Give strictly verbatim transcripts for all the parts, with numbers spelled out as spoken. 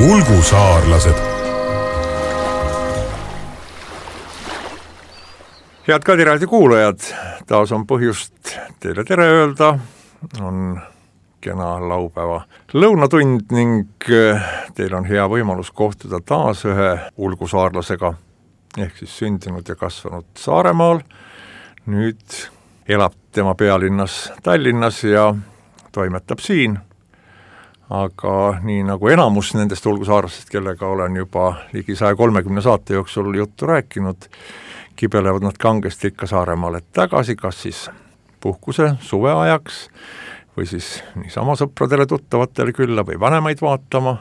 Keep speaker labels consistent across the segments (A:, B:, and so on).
A: ulgusaarlased. Head Kadiraadio kuulajad, taas on põhjust teile tere öelda, on kena laupäeva lõunatund ning teil on hea võimalus kohtuda taas ühe ulgusaarlasega, ehk siis sündinud ja kasvanud Saaremaal. Nüüd elab tema pealinnas Tallinnas ja toimetab siin. Aga nii nagu enamus nendest ulgusaarlastest, kellega olen juba ligi saja kolmekümne saate jooksul juttu rääkinud, kibelevad nad kangesti ikka Saaremaale tagasi, kas siis puhkuse suveajaks või siis niisama sõpradele tuttavatele külla või vanemaid vaatama.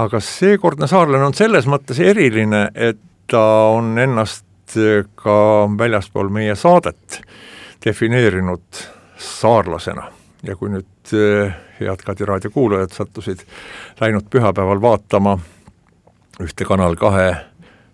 A: Aga seekordne saarlane on selles mõttes eriline, et ta on ennast ka väljaspool meie saadet defineerinud saarlasena. Ja kui nüüd head Kadiraadio kuulajad sattusid läinud pühapäeval vaatama ühte Kanal kahe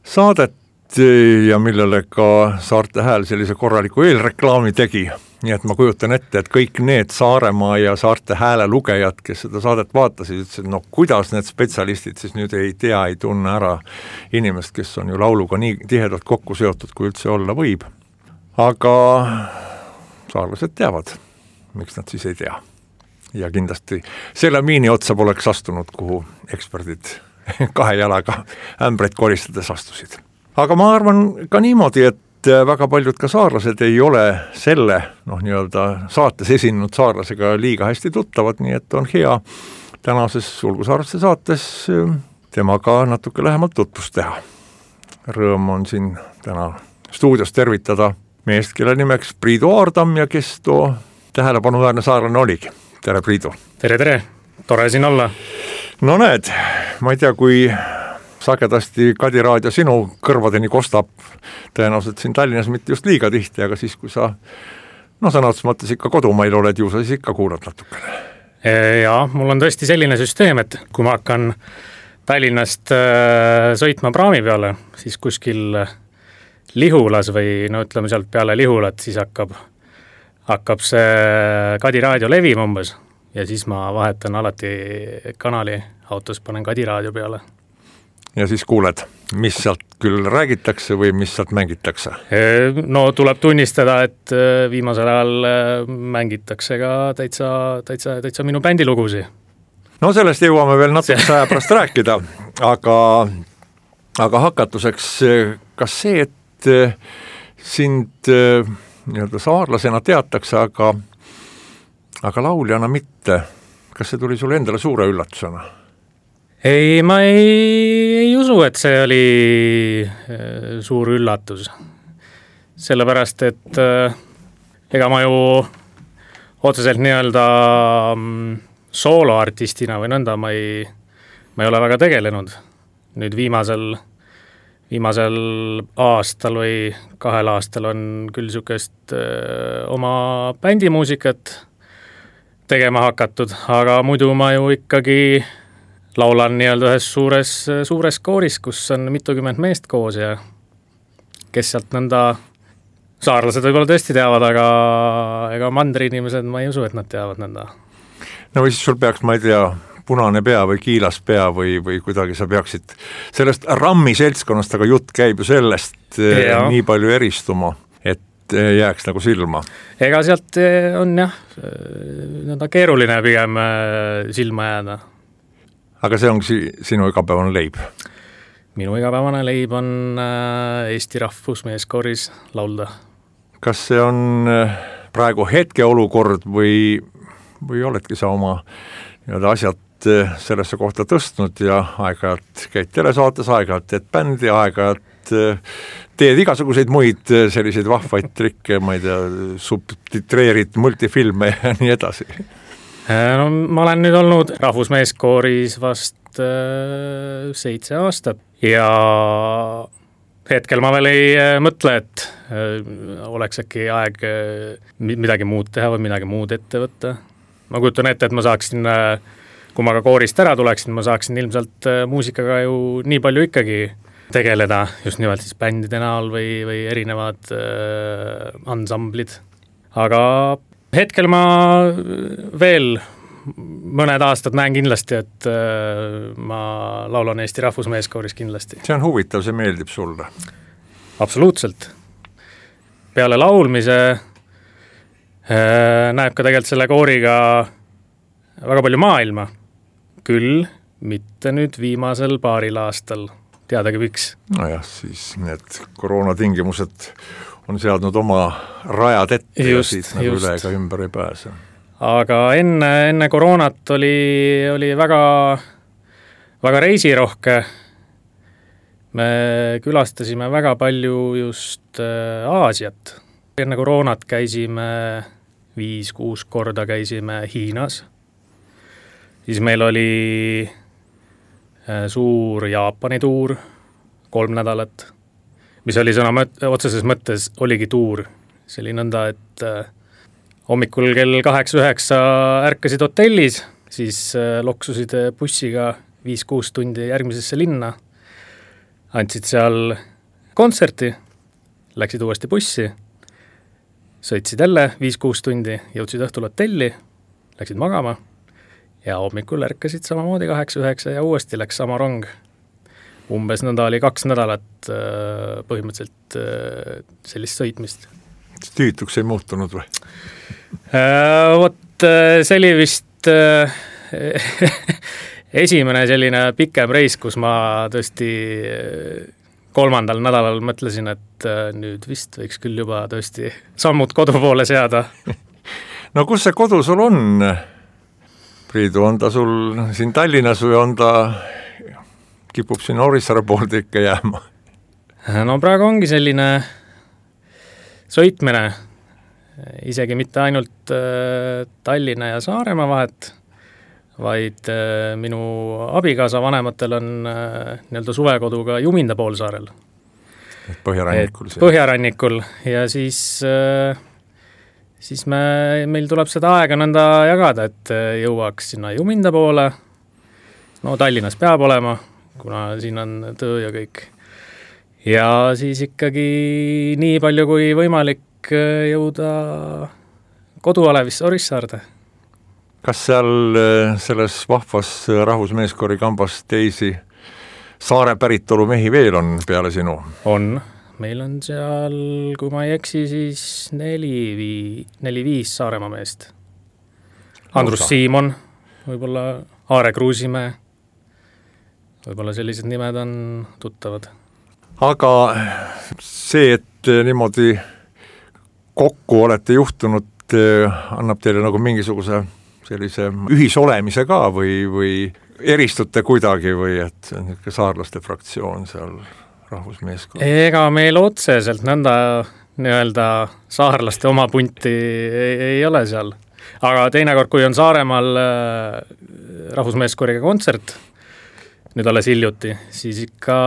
A: saadet ja millele ka Saarte Hääl sellise korraliku eelreklaami tegi, nii et ma kujutan ette, et kõik need Saaremaa ja Saarte Hääle lugejad, kes seda saadet vaatasid, ütlesid, no kuidas need spetsialistid siis nüüd ei tea, ei tunne ära inimest, kes on ju lauluga nii tihedalt kokku seotud, kui üldse olla võib. Aga saarlased teavad, miks nad siis ei tea. Ja kindlasti selle miini otsa poleks astunud, kuhu eksperdid kahe jalaga ämbreid koristades astusid. Aga ma arvan ka niimoodi, et väga paljud ka saarlased ei ole selle noh, nii-öelda saates esinenud saarlasega liiga hästi tuttavad, nii et on hea tänases ulgusaarlaste saates temaga natuke lähemalt tutvust teha. Rõõm on siin täna stuudios tervitada meest, kelle nimeks Priidu Aardam ja kes too tähelepanuväärne saarlane oligi. Tere, Priidu.
B: Tere, tere. Tore siin olla.
A: No näed, ma ei tea, kui sagedasti Kadiraadio sinu kõrvadeni kostab, tõenäoliselt siin Tallinnas mitte just liiga tihti, aga siis, kui sa no sõna otsa mõttes ikka kodumail oled ju, sa siis ikka kuulad natukene.
B: Jaa, mul on tõesti selline süsteem, et kui ma hakkan Tallinnast äh, sõitma praami peale, siis kuskil Lihulas või no ütleme sealt peale Lihulat, siis hakkab hakkab see Kadiraadio levim umbes ja siis ma vahetan alati kanali autos, panen Kadiraadio peale.
A: Ja siis kuuled, mis sealt küll räägitakse või mis sealt mängitakse?
B: No tuleb tunnistada, et viimasel ajal mängitakse ka täitsa, täitsa, täitsa minu bändilugusi. No sellest jõuame veel natuke aja pärast rääkida, aga, aga hakatuseks, kas see, et sind nii-öelda saarlasena teatakse, aga, aga lauljana mitte. Kas see tuli sulle endale suure üllatusena? Ei, ma ei, ei usu, et see oli suur üllatus. Sellepärast, et ega ma ju otseselt nii-öelda sooloartistina või nõnda ma ei, ma ei ole väga tegelenud. Nüüd viimasel Viimasel aastal või kahel aastal on küll sükest öö, oma bändimuusikat tegema hakatud, aga muidu ma ju ikkagi laulan nii-öelda ühes suures, suures kooris, kus on mitukümmend meest koos ja kes sealt nõnda saarlased võib-olla tõesti teavad, aga ega mandri inimesed ma ei usu, et nad teavad nõnda.
A: No või siis sul peaks, ma ei tea, punane pea või kiilas pea või, või kuidagi sa peaksid sellest rammi seltskonnast, aga jutt käib ju sellest ja. Nii palju eristuma, et jääks nagu silma. Ega
B: sealt on jah, nõnda keeruline pigem silma jääda.
A: Aga see ongi sinu igapäevane leib?
B: Minu igapäevane leib on Eesti Rahvusmeeskooris laulda.
A: Kas see on praegu hetke olukord või, või oledki sa oma nii-öelda asjad sellesse kohta tõstnud ja aeg-ajalt käid telesaates, aeg-ajalt teed bändi, aeg-ajalt teed igasuguseid muid selliseid vahvaid trikke, ma ei tea, subtitreerid multifilme ja nii edasi.
B: No, ma olen nüüd olnud Rahvusmeeskooris vast äh, seitse aastat ja hetkel ma veel ei mõtle, et äh, oleks äkki aeg äh, midagi muud teha või midagi muud ette võtta. Ma kujutan ette, et ma saaksin äh, kui ma ka koorist ära tuleksin, ma saaksin ilmselt muusikaga ju nii palju ikkagi tegeleda, just nimelt siis bändide näol või, või erinevad äh, ansamblid. Aga hetkel ma veel mõned aastad näen kindlasti, et ma laulan Eesti rahvusmeeskooris kindlasti.
A: See on huvitav, see meeldib sulle?
B: Absoluutselt. Peale laulmise näeb ka tegelikult selle kooriga väga palju maailma. Küll mitte nüüd viimasel paaril aastal. Teadagi miks.
A: Nojah, siis need koroonatingimused on seadnud oma rajad ette just, ja siit nagu just. Üle ega ümber ei pääse. Aga
B: enne, enne koroonat oli, oli väga, väga reisirohke. Me külastasime väga palju just Aasiat. Enne koroonat käisime viis-kuus korda käisime Hiinas. Siis meil oli suur Jaapani tuur, kolm nädalat, mis oli sõna mõt- otseses mõttes oligi tuur. See oli nõnda, et hommikul kell kaheksa üheksa ärkasid hotellis, siis loksusid bussiga viis-kuus tundi järgmisesse linna, andsid seal kontserti, läksid uuesti bussi, sõitsid jälle viis-kuus tundi, jõudsid õhtul hotelli, läksid magama ja hommikul ärkasid samamoodi kaheksa üheksa ja uuesti läks sama rong. Umbes nõnda oli kaks nädalat põhimõtteliselt sellist sõitmist.
A: Tüütuks ei muutunud või?
B: Vot see oli vist esimene selline pikem reis, kus ma tõesti kolmandal nädalal mõtlesin, et nüüd vist võiks küll juba tõesti sammud kodu poole seada.
A: No kus see kodu sul on? Priidu, on ta sul siin Tallinnas või on ta kipub siin Orissaare poolde ikka jääma?
B: No praegu ongi selline sõitmine, isegi mitte ainult Tallinna ja Saaremaa vahet, vaid minu abikaasa vanematel on nii-öelda suvekoduga Juminda poolsaarel.
A: Põhjarannikul.
B: Põhjarannikul ja siis, siis me, meil tuleb seda aega nõnda jagada, et jõuaks sinna Juminda poole. No Tallinnas peab olema, kuna siin on töö ja kõik. Ja siis ikkagi nii palju kui võimalik jõuda kodualevisse Orissaarde.
A: Kas seal selles vahvas rahvusmeeskoori kambas teisi saare päritolu mehi veel on peale sinu?
B: On. Meil on seal, kui ma ei eksi, siis neli, vii, neli viis Saaremaa meest. Andrus Osa. Siimon, võib-olla Aare Kruusimäe, võib-olla sellised nimed on tuttavad.
A: Aga see, et niimoodi kokku olete juhtunud, annab teile nagu mingisuguse sellise ühisolemise ka või, või eristute kuidagi või et see saarlaste fraktsioon seal rahvusmeeskond?
B: Ega meil otseselt nõnda nii-öelda saarlaste oma punti ei, ei ole seal. Aga teinekord, kui on Saaremaal rahvusmeeskooriga kontsert, nüüd alles hiljuti, siis ikka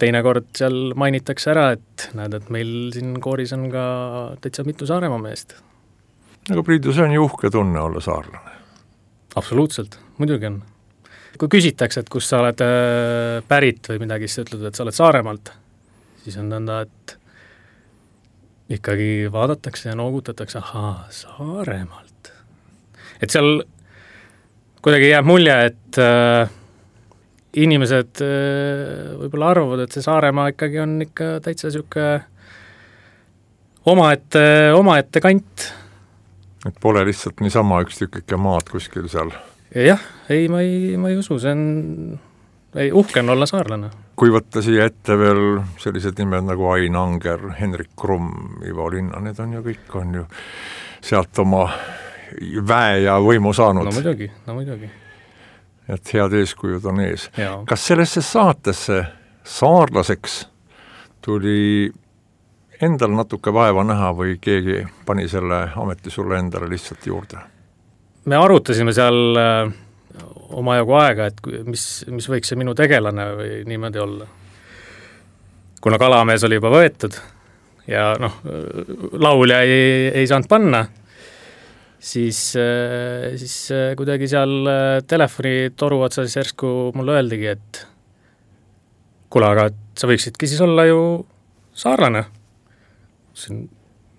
B: teinekord seal mainitakse ära, et näed, et meil siin kooris on ka täitsa mitu Saaremaa meest.
A: Aga Priidu, see on ju uhke tunne olla saarlane.
B: Absoluutselt, muidugi on. Kui küsitakse, et kus sa oled pärit või midagi, siis ütled, et sa oled Saaremaalt, siis on nõnda, et ikkagi vaadatakse ja noogutatakse, ahaa, Saaremaalt. Et seal kuidagi jääb mulje, et äh, inimesed äh, võib-olla arvavad, et see Saaremaa ikkagi on ikka täitsa siuke omaette, omaette kant.
A: Et pole lihtsalt niisama üks tükike maad kuskil seal.
B: Jah, ei, ma ei, ma ei usu, see on, ei, uhke on olla saarlane.
A: Kui võtta siia ette veel sellised nimed nagu Ain Anger, Henrik Krumm, Ivo Linna, need on ju kõik, on ju sealt oma väe ja võimu saanud.
B: No muidugi, no muidugi.
A: Et head eeskujud on ees.
B: Ja.
A: Kas sellesse saatesse saarlaseks tuli endal natuke vaeva näha või keegi pani selle ameti sulle endale lihtsalt juurde?
B: Me arutasime seal äh, omajagu aega, et mis, mis võiks see minu tegelane või niimoodi olla. Kuna Kalamees oli juba võetud ja noh, laulja ei, ei saanud panna, siis, äh, siis äh, kuidagi seal telefoni toru otsas järsku mulle öeldigi, et kuule, aga sa võiksidki siis olla ju saarlane.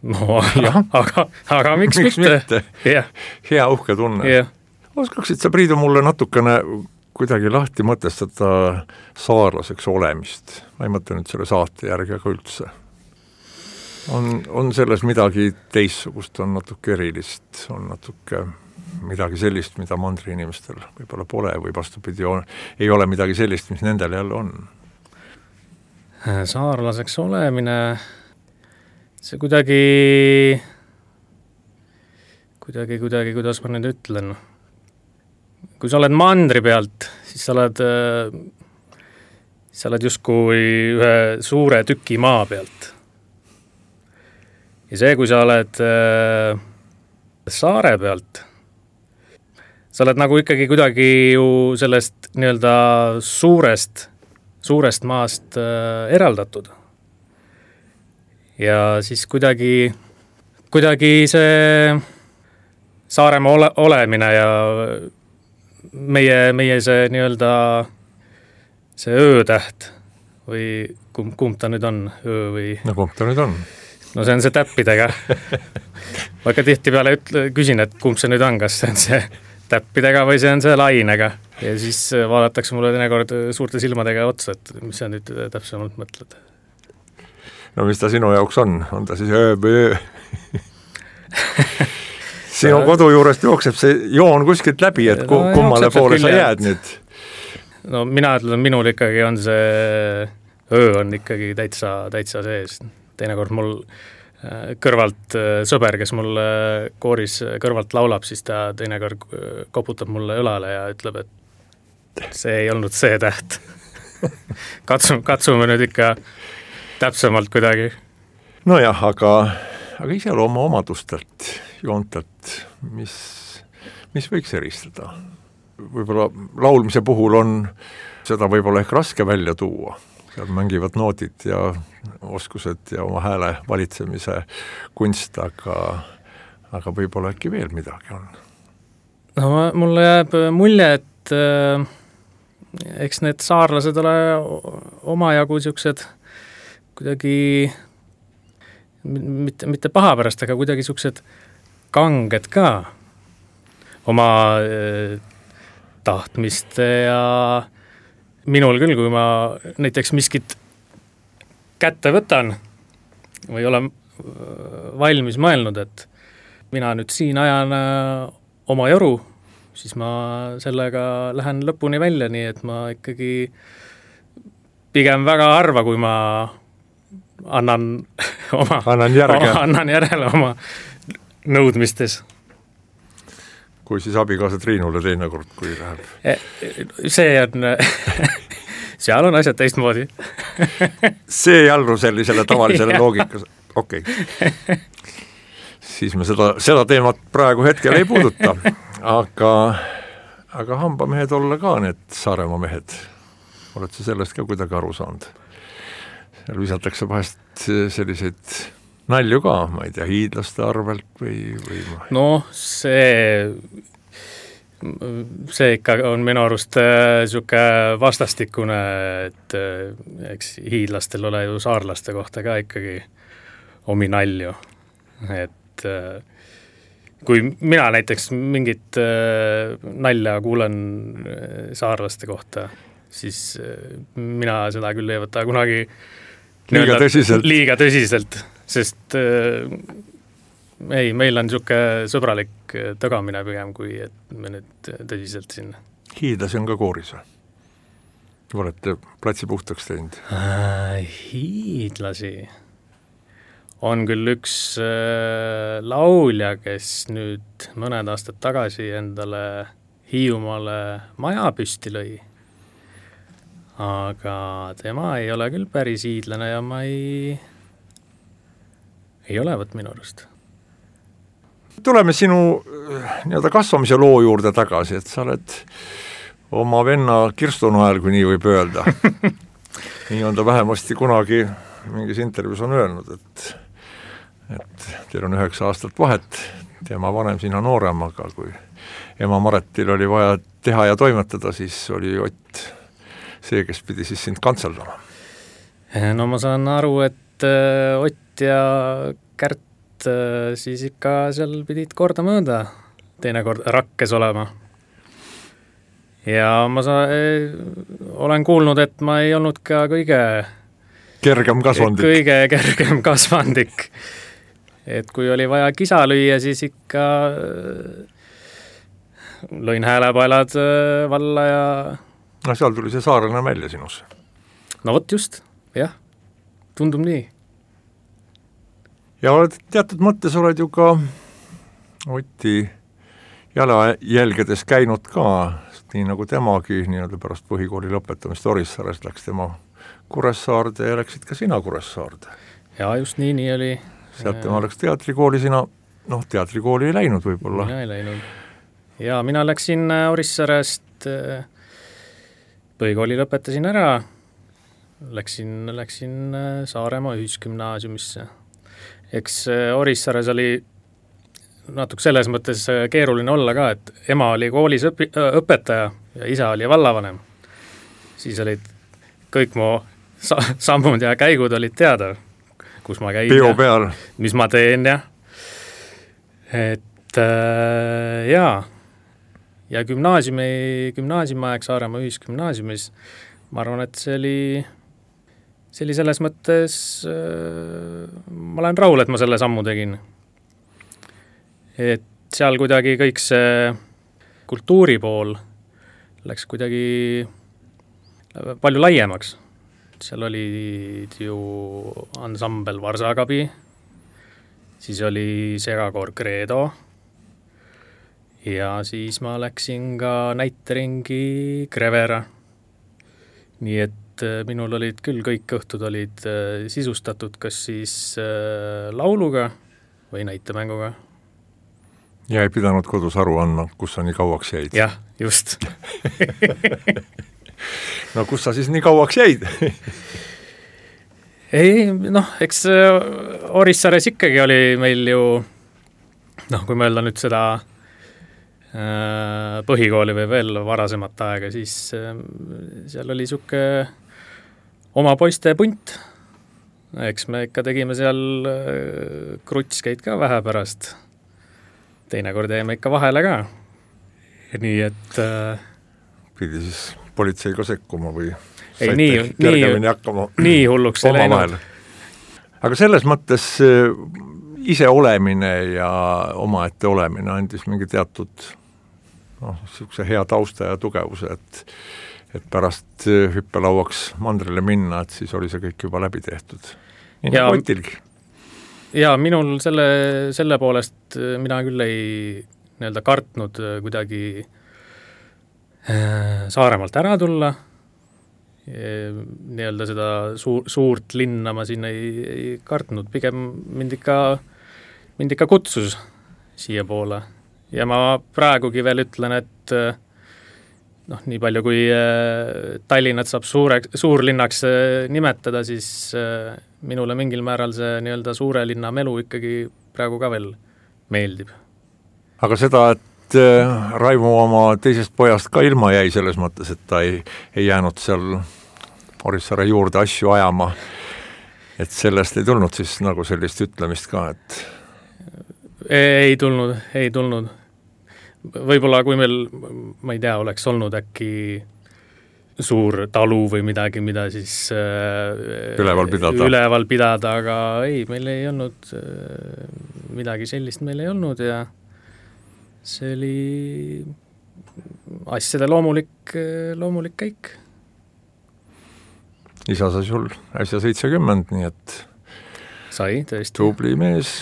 B: No, jah, aga, aga miks,
A: miks mitte?
B: mitte?
A: Hea uhke tunne.
B: Yeah.
A: oskaksid sa, Priidu, mulle natukene kuidagi lahti mõtestada saarlaseks olemist? Ma ei mõtle nüüd selle saate järgi, aga üldse. On, on selles midagi teissugust, on natuke erilist, on natuke midagi sellist, mida mandri inimestel võib-olla pole või vastupidi, on, ei ole midagi sellist, mis nendel jälle on?
B: Saarlaseks olemine, see kuidagi, kuidagi, kuidagi, kuidas ma nüüd ütlen, kui sa oled mandri pealt, siis sa oled, sa oled justkui ühe suure tüki maa pealt. Ja see, kui sa oled äh, saare pealt, sa oled nagu ikkagi kuidagi ju sellest nii-öelda suurest, suurest maast äh, eraldatud. Ja siis kuidagi, kuidagi see Saaremaa ole, olemine ja meie, meie see nii-öelda see öötäht või kumb, kumb ta nüüd on, öö või...
A: No kumb ta nüüd on?
B: No see on see täppidega. Ma ikka tihti peale ütle, küsin, et kumb see nüüd on, kas see on see täppidega või see on see lainega. Ja siis vaadatakse mulle teinekord suurte silmadega otsa, et mis sa nüüd täpsemalt mõtled.
A: No mis ta sinu jaoks on? On ta siis öö või öö? Sinu kodu juurest jookseb see joon kuskilt läbi, et no, kummale poole sa jääd nüüd?
B: No mina ütlen, minul ikkagi on see öö on ikkagi täitsa, täitsa sees. Teinekord mul kõrvalt sõber, kes mul kooris kõrvalt laulab, siis ta teinekord koputab mulle õlale ja ütleb, et see ei olnud see täht. Katsume, katsume nüüd ikka täpsemalt kuidagi.
A: Nojah, aga, aga iselooma omadustelt, joontelt, mis, mis võiks eristada? Võib-olla laulmise puhul on seda võib-olla ehk raske välja tuua. Seal mängivad noodid ja oskused ja oma hääle valitsemise kunst, aga, aga võib-olla äkki veel midagi on.
B: No mulle jääb mulje, et äh, eks need saarlased ole omajagu siuksed kuidagi mitte, mitte paha pärast, aga kuidagi siuksed kanged ka oma äh, tahtmiste ja minul küll, kui ma näiteks miskit kätte võtan või olen valmis mõelnud, et mina nüüd siin ajan oma joru, siis ma sellega lähen lõpuni välja, nii et ma ikkagi pigem väga harva, kui ma annan oma,
A: annan järge.
B: oma, annan järele oma nõudmistes.
A: Kui siis abikaasa Triinule teinekord, kui läheb?
B: See on, seal on asjad teistmoodi.
A: See ei allu sellisele tavalisele loogikas. Okei. Okay. Siis me seda, seda teemat praegu hetkel ei puuduta, aga, aga hambamehed olla ka need Saaremaa mehed. Oled sa sellest ka kuidagi aru saanud? Seal visatakse vahest selliseid nalju ka, ma ei tea, hiidlaste arvelt või, või ma...
B: No see, see ikka on minu arust siuke vastastikune, et eks hiidlastel ole ju saarlaste kohta ka ikkagi omi nalju. Et kui mina näiteks mingit nalja kuulen saarlaste kohta, siis mina seda küll ei võta kunagi
A: liiga tõsiselt.
B: Liiga tõsiselt. Sest äh, ei, meil on niisugune sõbralik tagamine pigem, kui et me nüüd tõsiselt sinna.
A: Hiidlasi on ka kooris või? Olete platsi puhtaks teinud?
B: Äh, hiidlasi on küll üks äh, laulja, kes nüüd mõned aastad tagasi endale Hiiumaale maja püsti lõi. Aga tema ei ole küll päris hiidlane ja ma ei... ei ole võt minu arust.
A: Tuleme sinu nii-öelda kasvamise loo juurde tagasi, et sa oled oma venna Kirstunoel, kui nii võib öelda. Nii on ta vähemasti kunagi mingis intervjuus on öelnud, et, et teil on üheksa aastat vahet, tema vanem, sina noorem, aga kui ema Maretil oli vaja teha ja toimetada, siis oli Ott see, kes pidi siis sind kantseldama.
B: No ma saan aru, et Ott ja Kärt siis ikka seal pidid korda mööda teinekord rakkes olema. ja ma sa, olen kuulnud, et ma ei olnud ka kõige
A: kergem kasvandik.
B: kõige kergem kasvandik. Et kui oli vaja kisa lüüa, siis ikka lõin häälepaelad valla ja...
A: No seal tuli see saarena välja sinus.
B: No vot just, jah, tundub nii.
A: Ja oled, teatud mõttes oled ju ka Oti jalajälgedes käinud ka, nii nagu temagi, nii-öelda pärast põhikooli lõpetamist Orissarest läks tema Kuressaarde ja läksid ka sina Kuressaarde.
B: Ja just nii, nii oli.
A: Sealt tema läks teatrikooli, sina, noh, teatrikooli ei läinud võib-olla.
B: Mina ei läinud. Ja mina läksin Orissarest, põhikooli lõpetasin ära, läksin, läksin Saaremaa ühisgümnaasiumisse. Eks Orissares oli natuke selles mõttes keeruline olla ka, et ema oli koolis õpi, õpetaja ja isa oli vallavanem. Siis olid kõik mu sa, sammud ja käigud olid teada, kus ma käin
A: Peo peal.
B: Mis ma teen ja et äh, jaa ja gümnaasiumi, gümnaasiumi aeg Saaremaa ühisgümnaasiumis ma arvan, et see oli see oli selles mõttes äh, ma olen rahul, et ma selle sammu tegin. Et seal kuidagi kõik see kultuuri pool läks kuidagi palju laiemaks. Seal olid ju ansambel Varsakabi, siis oli segakoor Credo ja siis ma läksin ka näiteringi Krevera. Nii et minul olid küll kõik õhtud olid sisustatud kas siis lauluga või näitemänguga.
A: Ja ei pidanud kodus aru andma, kus sa nii kauaks jäid.
B: Jah, just.
A: No kus sa siis nii kauaks jäid?
B: Ei, noh, eks Orissares ikkagi oli meil ju, noh, kui mõelda nüüd seda äh, põhikooli või veel varasemat aega, siis äh, seal oli siuke oma poiste punt. Eks me ikka tegime seal äh, krutskeid ka vähe pärast. Teinekord jäime ikka vahele ka. Nii et... Äh,
A: pidi siis politsei ka sekkuma või
B: ei, nii, nii,
A: hakkama
B: nii hulluks ei läinud.
A: Aga selles mõttes ise olemine ja omaette olemine andis mingi teatud noh, siukse hea tausta ja tugevuse, et, et pärast hüppelauaks mandrile minna, et siis oli see kõik juba läbi tehtud. Nii ja, nagu Otilgi.
B: Ja minul selle, selle poolest mina küll ei nii-öelda kartnud kuidagi Saaremaalt ära tulla. Nii-öelda seda suur, suurt linna ma siin ei, ei kartnud, pigem mind ikka, mind ikka kutsus siia poole. Ja ma praegugi veel ütlen, et noh, nii palju kui Tallinnat saab suure, suurlinnaks nimetada, siis minule mingil määral see nii-öelda suure linna melu ikkagi praegu ka veel meeldib. Aga
A: seda, et Raivo oma teisest pojast ka ilma jäi selles mõttes, et ta ei, ei jäänud seal Orissaare juurde asju ajama, et sellest ei tulnud siis nagu sellist ütlemist ka, et
B: ei tulnud, ei tulnud. Võib-olla kui meil, ma ei tea, oleks olnud äkki suur talu või midagi, mida siis
A: üleval pidada.
B: üleval pidada, aga ei, meil ei olnud midagi sellist, meil ei olnud ja see oli asjade loomulik, loomulik käik.
A: Isa sai sul äsja seitsekümmend, nii et
B: sai, tõesti.
A: Tubli mees.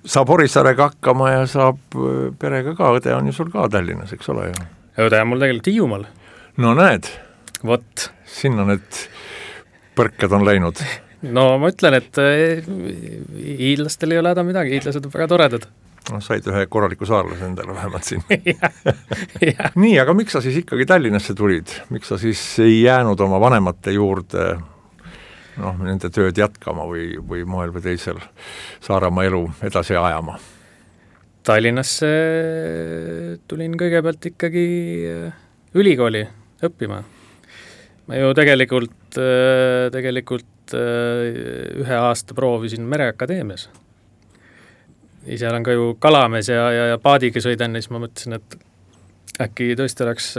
A: Saab Orissaarega hakkama ja saab perega ka, õde on ju sul ka Tallinnas, eks ole ju?
B: Õde on mul tegelikult Hiiumaal.
A: No näed,
B: Vot.
A: Sinna need põrked on läinud.
B: No ma ütlen, et hiidlastel ei ole häda midagi, hiidlased on väga toredad.
A: No, said ühe korraliku saarlase endale vähemalt siin. ja, ja. Nii, aga miks sa siis ikkagi Tallinnasse tulid? Miks sa siis ei jäänud oma vanemate juurde noh, nende tööd jätkama või, või moel või teisel Saaremaa elu edasi ajama?
B: Tallinnasse tulin kõigepealt ikkagi ülikooli õppima. Ma ju tegelikult, tegelikult ühe aasta proovisin Mereakadeemias. Ise olen ka ju kalamees ja, ja, ja paadiga sõidan, siis ma mõtlesin, et äkki tõesti oleks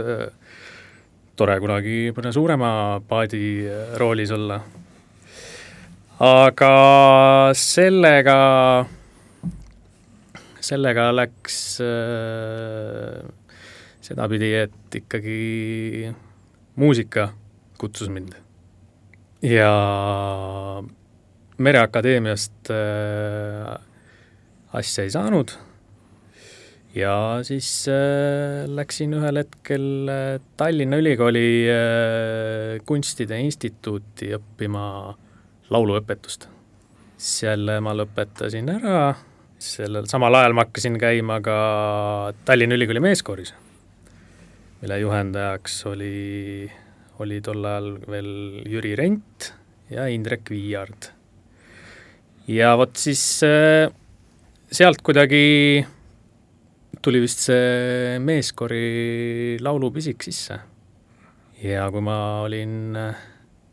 B: tore kunagi mõne suurema paadi roolis olla. Aga sellega, sellega läks sedapidi, et ikkagi muusika kutsus mind. Ja Mereakadeemiast asja ei saanud ja siis läksin ühel hetkel Tallinna Ülikooli kunstide instituuti õppima lauluõpetust. Seal ma lõpetasin ära, sellel samal ajal ma hakkasin käima ka Tallinna Ülikooli meeskooris, mille juhendajaks oli, oli tol ajal veel Jüri Rent ja Indrek Viiard. Ja vot siis sealt kuidagi tuli vist see meeskoori laulupisik sisse. Ja kui ma olin,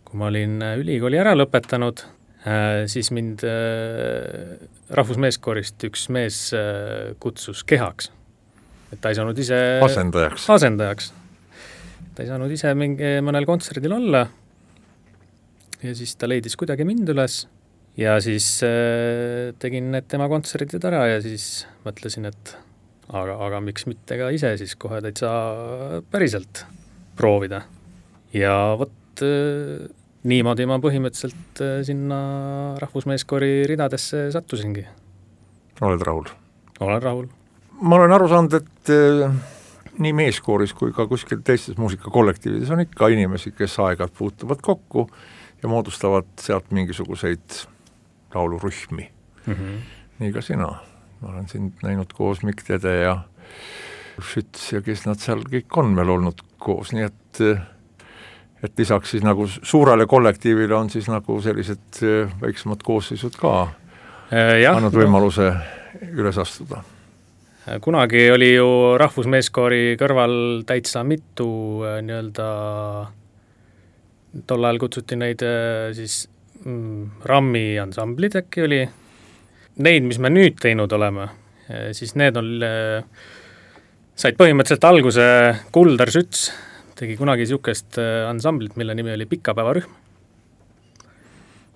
B: kui ma olin ülikooli ära lõpetanud, siis mind rahvusmeeskoorist üks mees kutsus kehaks. Et ta ei saanud ise
A: asendajaks.
B: asendajaks. Ta ei saanud ise mingi mõnel kontserdil olla ja siis ta leidis kuidagi mind üles. Ja siis äh, tegin need tema kontserdid ära ja siis mõtlesin, et aga, aga miks mitte ka ise siis kohe täitsa päriselt proovida. Ja vot äh, niimoodi ma põhimõtteliselt äh, sinna rahvusmeeskoori ridadesse sattusingi.
A: Oled rahul?
B: Olen rahul.
A: Ma olen aru saanud, et äh, nii meeskooris kui ka kuskil teistes muusikakollektiivides on ikka inimesi, kes aegad puutuvad kokku ja moodustavad sealt mingisuguseid laulurühmi. Mm-hmm. Nii ka sina. Ma olen sind näinud koos Mikk Tede ja Schütz ja kes nad seal kõik on meil olnud koos, nii et, et lisaks siis nagu suurele kollektiivile on siis nagu sellised väiksemad koosseisud ka äh, annad võimaluse üles astuda.
B: Kunagi oli ju rahvusmeeskoori kõrval täitsa mitu nii-öelda tol ajal kutsuti neid siis Rammi ansamblid äkki oli. Neid, mis me nüüd teinud oleme, siis need on, said põhimõtteliselt alguse Kuldar Schütz, tegi kunagi niisugust ansamblit, mille nimi oli Pikapäevarühm.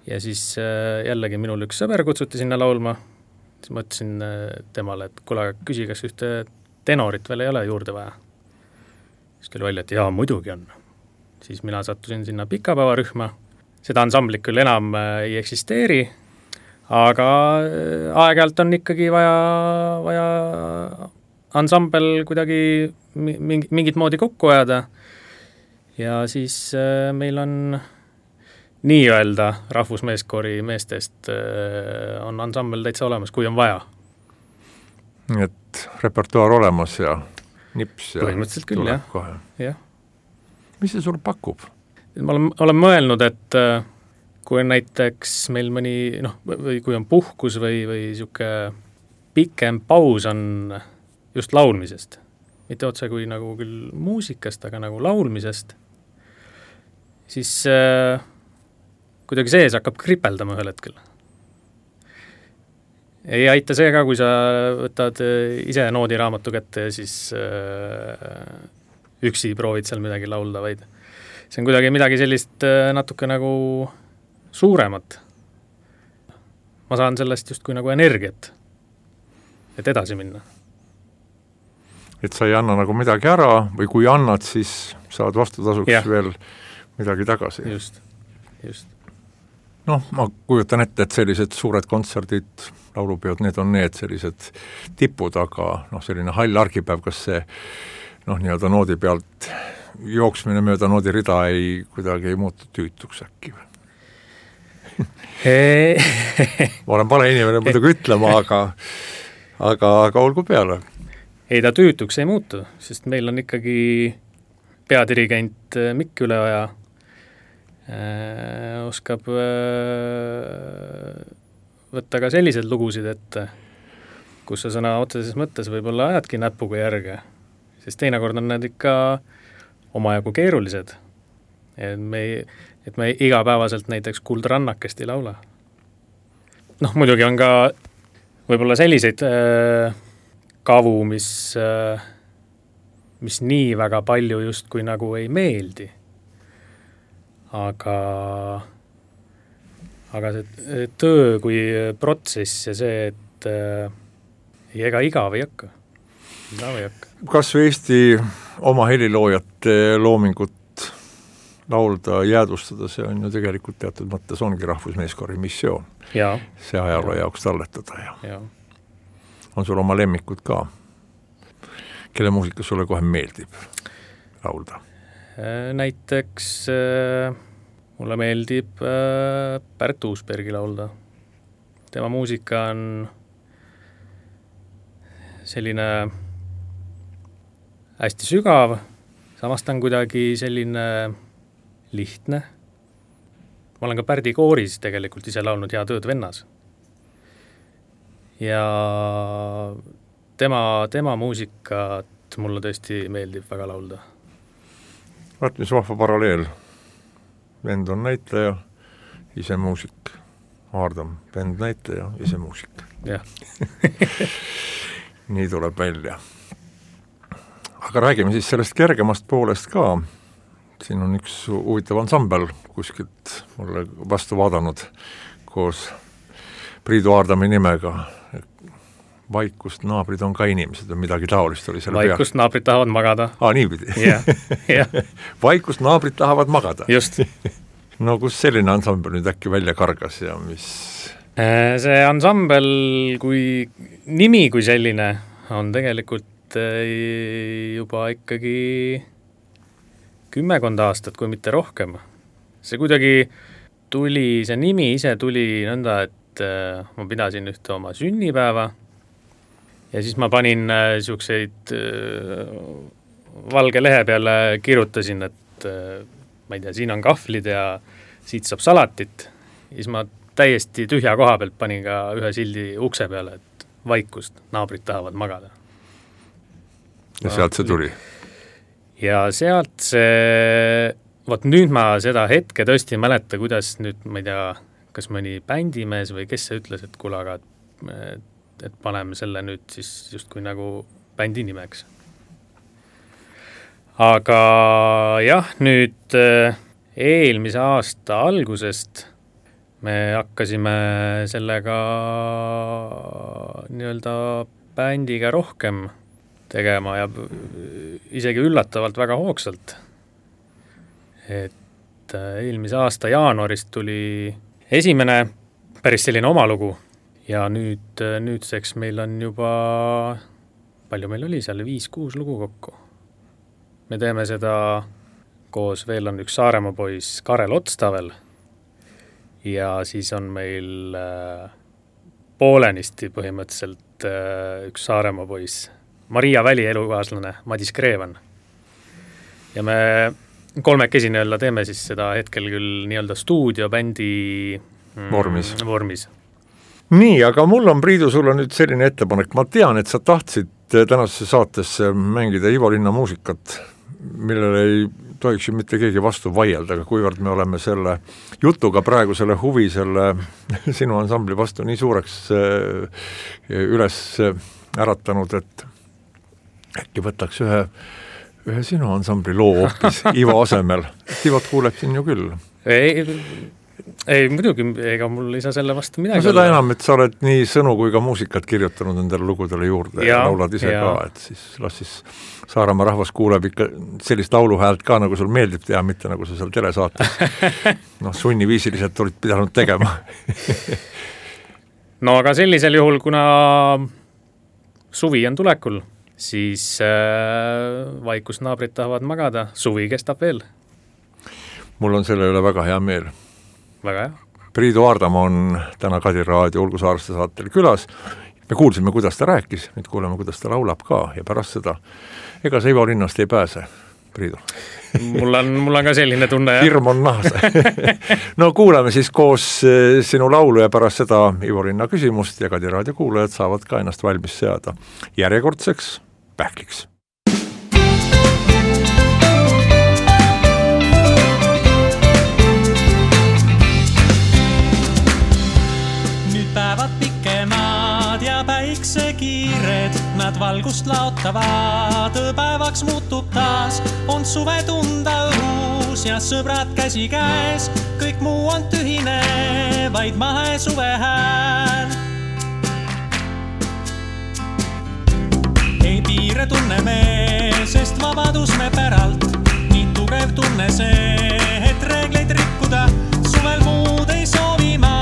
B: Ja siis jällegi minul üks sõber kutsuti sinna laulma, siis mõtlesin temale, et kuule, küsi, kas ühte tenorit veel ei ole juurde vaja. Siis küll välja, et jaa, muidugi on. Siis mina sattusin sinna Pikapäevarühma. Seda ansamblit küll enam ei eksisteeri, aga aeg-ajalt on ikkagi vaja, vaja ansambel kuidagi mingi, mingit moodi kokku ajada. Ja siis meil on nii-öelda rahvusmeeskoori meestest on ansambel täitsa olemas, kui on vaja.
A: Nii et repertuaar olemas ja nips ja
B: põhimõtteliselt küll, jah.
A: Kohe.
B: jah.
A: Mis see sul pakub?
B: Ma olen, olen mõelnud, et kui on näiteks meil mõni, noh, või kui on puhkus või, või siuke pikem paus on just laulmisest, mitte otse kui nagu küll muusikast, aga nagu laulmisest, siis äh, kuidagi sees hakkab kripeldama ühel hetkel. Ei aita see ka, kui sa võtad ise noodiraamatu kätte ja siis äh, üksi proovid seal midagi laulda, vaid see on kuidagi midagi sellist natuke nagu suuremat. Ma saan sellest just kui nagu energiat, et edasi minna.
A: Et sa ei anna nagu midagi ära või kui annad, siis saad vastutasuks ja. Veel midagi tagasi.
B: Just, just.
A: Noh, ma kujutan ette, et sellised suured kontserdid, laulupeod, need on need sellised tipud, aga noh, selline hall argipäev, kas see noh, nii-öelda noodi pealt jooksmine mööda noodi rida ei kuidagi ei muutu tüütuks äkki. Ma olen pale inimene muidugi ütlema, aga, aga, aga olgu peale.
B: Ei ta tüütuks ei muutu, sest meil on ikkagi peadirigent Mikk Üleoja äh, oskab äh, võtta ka sellised lugusid ette, kus sa sõna otseses mõttes võib-olla ajadki näpuga järge, sest teinekord on need ikka omajagu keerulised. Et me, et me igapäevaselt näiteks Kuldrannakest ei laula. Noh, muidugi on ka võib-olla selliseid äh, kavu, mis, äh, mis nii väga palju justkui nagu ei meeldi. Aga, aga see töö kui protsess ja see, et äh, ega igav ei hakka. Igav ei hakka.
A: Kas Eesti oma heliloojate loomingut laulda, jäädustada, see on ju tegelikult teatud mõttes ongi rahvusmeeskori missioon.
B: Ja.
A: See ajaloo jaoks talletada. Ja.
B: Ja.
A: On sul oma lemmikud ka? Kelle muusika sulle kohe meeldib laulda?
B: Näiteks äh, mulle meeldib äh, Pärt Uusbergi laulda. Tema muusika on selline hästi sügav, samas ta on kuidagi selline lihtne. Ma olen ka Pärdi kooris tegelikult ise laulnud Hea tööd vennas. Ja tema, tema muusikat mulle tõesti meeldib väga laulda.
A: Vaat, mis vahva paralleel. Vend on näitleja, ise muusik. Aardam, vend näitleja, ise muusik.
B: Jah.
A: Nii tuleb välja. Aga räägime siis sellest kergemast poolest ka. Siin on üks huvitav ansambel kuskilt mulle vastu vaadanud koos Priidu Aardami nimega. Vaikust naabrid on ka inimesed või midagi taolist oli selle
B: peal. Vaikust naabrid tahavad magada.
A: Aa, niipidi.
B: Yeah. Yeah.
A: Vaikust naabrid tahavad magada.
B: Just.
A: No kus selline ansambel nüüd äkki välja kargas ja mis?
B: See ansambel kui nimi kui selline on tegelikult juba ikkagi kümmekond aastat, kui mitte rohkem. See kuidagi tuli, see nimi ise tuli nõnda, et ma pidasin ühte oma sünnipäeva ja siis ma panin niisuguseid valge lehe peale, kirjutasin, et ma ei tea, siin on kahvlid ja siit saab salatit. Ja siis ma täiesti tühja koha pealt panin ka ühe sildi ukse peale, et vaikust, naabrid tahavad magada.
A: Ja sealt see tuli?
B: Ja sealt see, vot nüüd ma seda hetke tõesti ei mäleta, kuidas nüüd, ma ei tea, kas mõni bändimees või kes see ütles, et kuule, aga et, et paneme selle nüüd siis justkui nagu bändi nimeks. Aga jah, nüüd eelmise aasta algusest me hakkasime sellega nii-öelda bändiga rohkem tegema ja isegi üllatavalt väga hoogsalt. Et eelmise aasta jaanuarist tuli esimene päris selline oma lugu ja nüüd, nüüdseks meil on juba, palju meil oli seal, viis-kuus lugu kokku. Me teeme seda koos, veel on üks Saaremaa poiss Karel Otstavel ja siis on meil poolenisti põhimõtteliselt üks Saaremaa poiss Maria Väli elukaaslane Madis Kreevan. Ja me kolmekesi nii-öelda teeme siis seda hetkel küll nii-öelda stuudiobändi mm,
A: vormis.
B: vormis.
A: Nii, aga mul on, Priidu, sulle nüüd selline ettepanek. Ma tean, et sa tahtsid tänasesse saatesse mängida Ivo Linna muusikat, millele ei tohiks ju mitte keegi vastu vaielda, aga kuivõrd me oleme selle jutuga praegu selle huvi selle sinu ansambli vastu nii suureks üles äratanud, et äkki võtaks ühe, ühe sinu ansambli loo hoopis Ivo asemel. Ivot kuuleb siin ju küll.
B: Ei, ei muidugi, ega mul ei saa selle vastu midagi.
A: No seda olla. Enam, et sa oled nii sõnu kui ka muusikat kirjutanud endale lugudele juurde ja, ja laulad ise ja. Ka, et siis las siis Saaremaa rahvas kuuleb ikka sellist lauluhäält ka, nagu sul meeldib teha, mitte nagu sa seal telesaates. Noh, sunniviisiliselt olid pidanud tegema.
B: No aga sellisel juhul, kuna suvi on tulekul, siis äh, vaikust naabrid tahavad magada, suvi kestab veel.
A: Mul on selle üle väga hea meel.
B: Väga hea.
A: Priidu Aardam on täna Kadir Raadio Ulgu Saareste saatel külas. Me kuulsime, kuidas ta rääkis, nüüd kuuleme, kuidas ta laulab ka ja pärast seda, ega see Ivo Linnast ei pääse, Priidu.
B: Mul on, mul on ka selline tunne.
A: Hirm on nahas. No kuuleme siis koos sinu laulu ja pärast seda Ivo Linna küsimust ja Kadir Raadio kuulajad saavad ka ennast valmis seada järjekordseks pähkliks.
C: Nüüd päevad pikemad ja päevad päiksekiired, nad valgust laotavad, päevaks muutub taas, on suve tunda õhus ja sõbrad käsi käes, kõik muu on tühine, vaid mahe suve hääl. Ei piire tunne me, sest vabadus me päralt, nii tugev tunne see, et reegleid rikkuda, suvel muud ei soovi ma,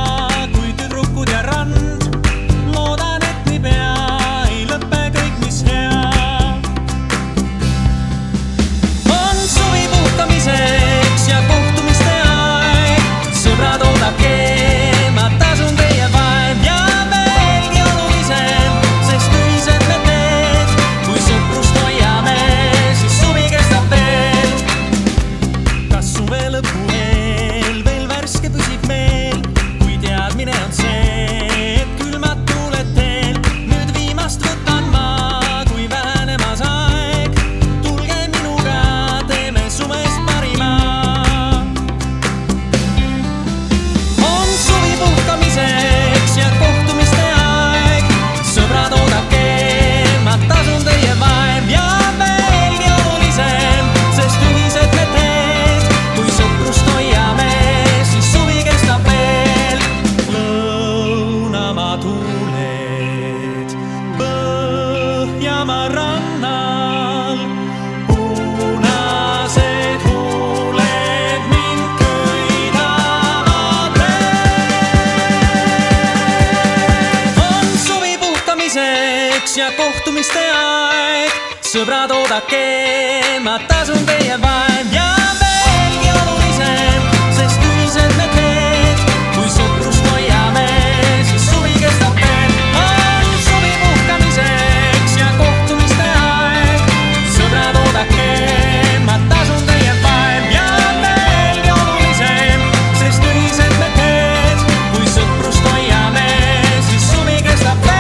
C: kui tüdrukud ja rand. Loodan, et nii pea ei lõppe kõik, mis hea. On suvi puhkamiseks ja kohtumiste aeg, sõbrad oodake, ma tasun teie vaev ja veelgi olulisem, sest ühised me teed, kui sõprust hoiame, siis suvi kestab veel. Kas suve lõpu eel veel värske püsib meel, kui teadmine on see, et külmad tuuled teel, nüüd viimast võtan ma, kui vähenemas aeg, tulge minuga, teeme suvest parima. On suvi puhkamiseks ja kohtumiste aeg, sõbrad oodake, ma tasun teie vaev ja veelgi olulisem, sest ühised me teed, kui sõprust hoiame, siis suvi kestab veel. Lõunamaa tuuled Põhjamaa rannal, punased huuled mind köidavad veel. On suvi puhkamiseks ja kohtumiste aeg, sõbrad oodake, ma tasun teie vaev ja veelgi olulisem, sest ühised me teed, kui sõprust hoiame, siis suvi kestab veel. On suvi puhkamiseks ja kohtumiste aeg, sõbrad oodake, ma tasun teie vaev ja veelgi olulisem, sest ühised me teed, kui sõprust hoiame, siis suvi kestab veel.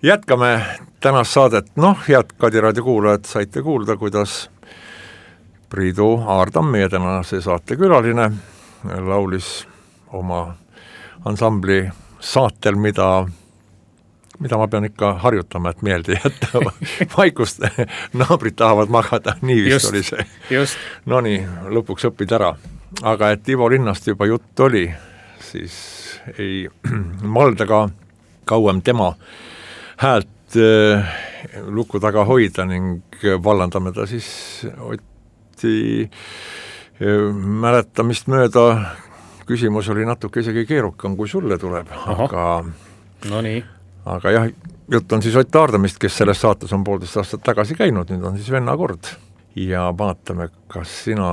A: Jätkame tänast saadet, noh, head Kadi raadio kuulajad, saite kuulda, kuidas Priidu Aardam, meie tänase saate külaline, laulis oma ansambli saatel, mida, mida ma pean ikka harjutama, et meelde jätta vaikust, naabrid tahavad magada, nii vist just, oli see.
B: Just.
A: No nii, lõpuks õpid ära. Aga et Ivo Linnast juba jutt oli, siis ei malda ka kauem tema häält äh, luku taga hoida ning vallandame ta siis Oti äh, mäletamist mööda. Küsimus oli natuke isegi keerukam, kui sulle tuleb, aga,
B: no nii.
A: aga jah, jutt on siis Ott Aardamist, kes selles saates on poolteist aastat tagasi käinud, nüüd on siis venna kord. Ja vaatame, kas sina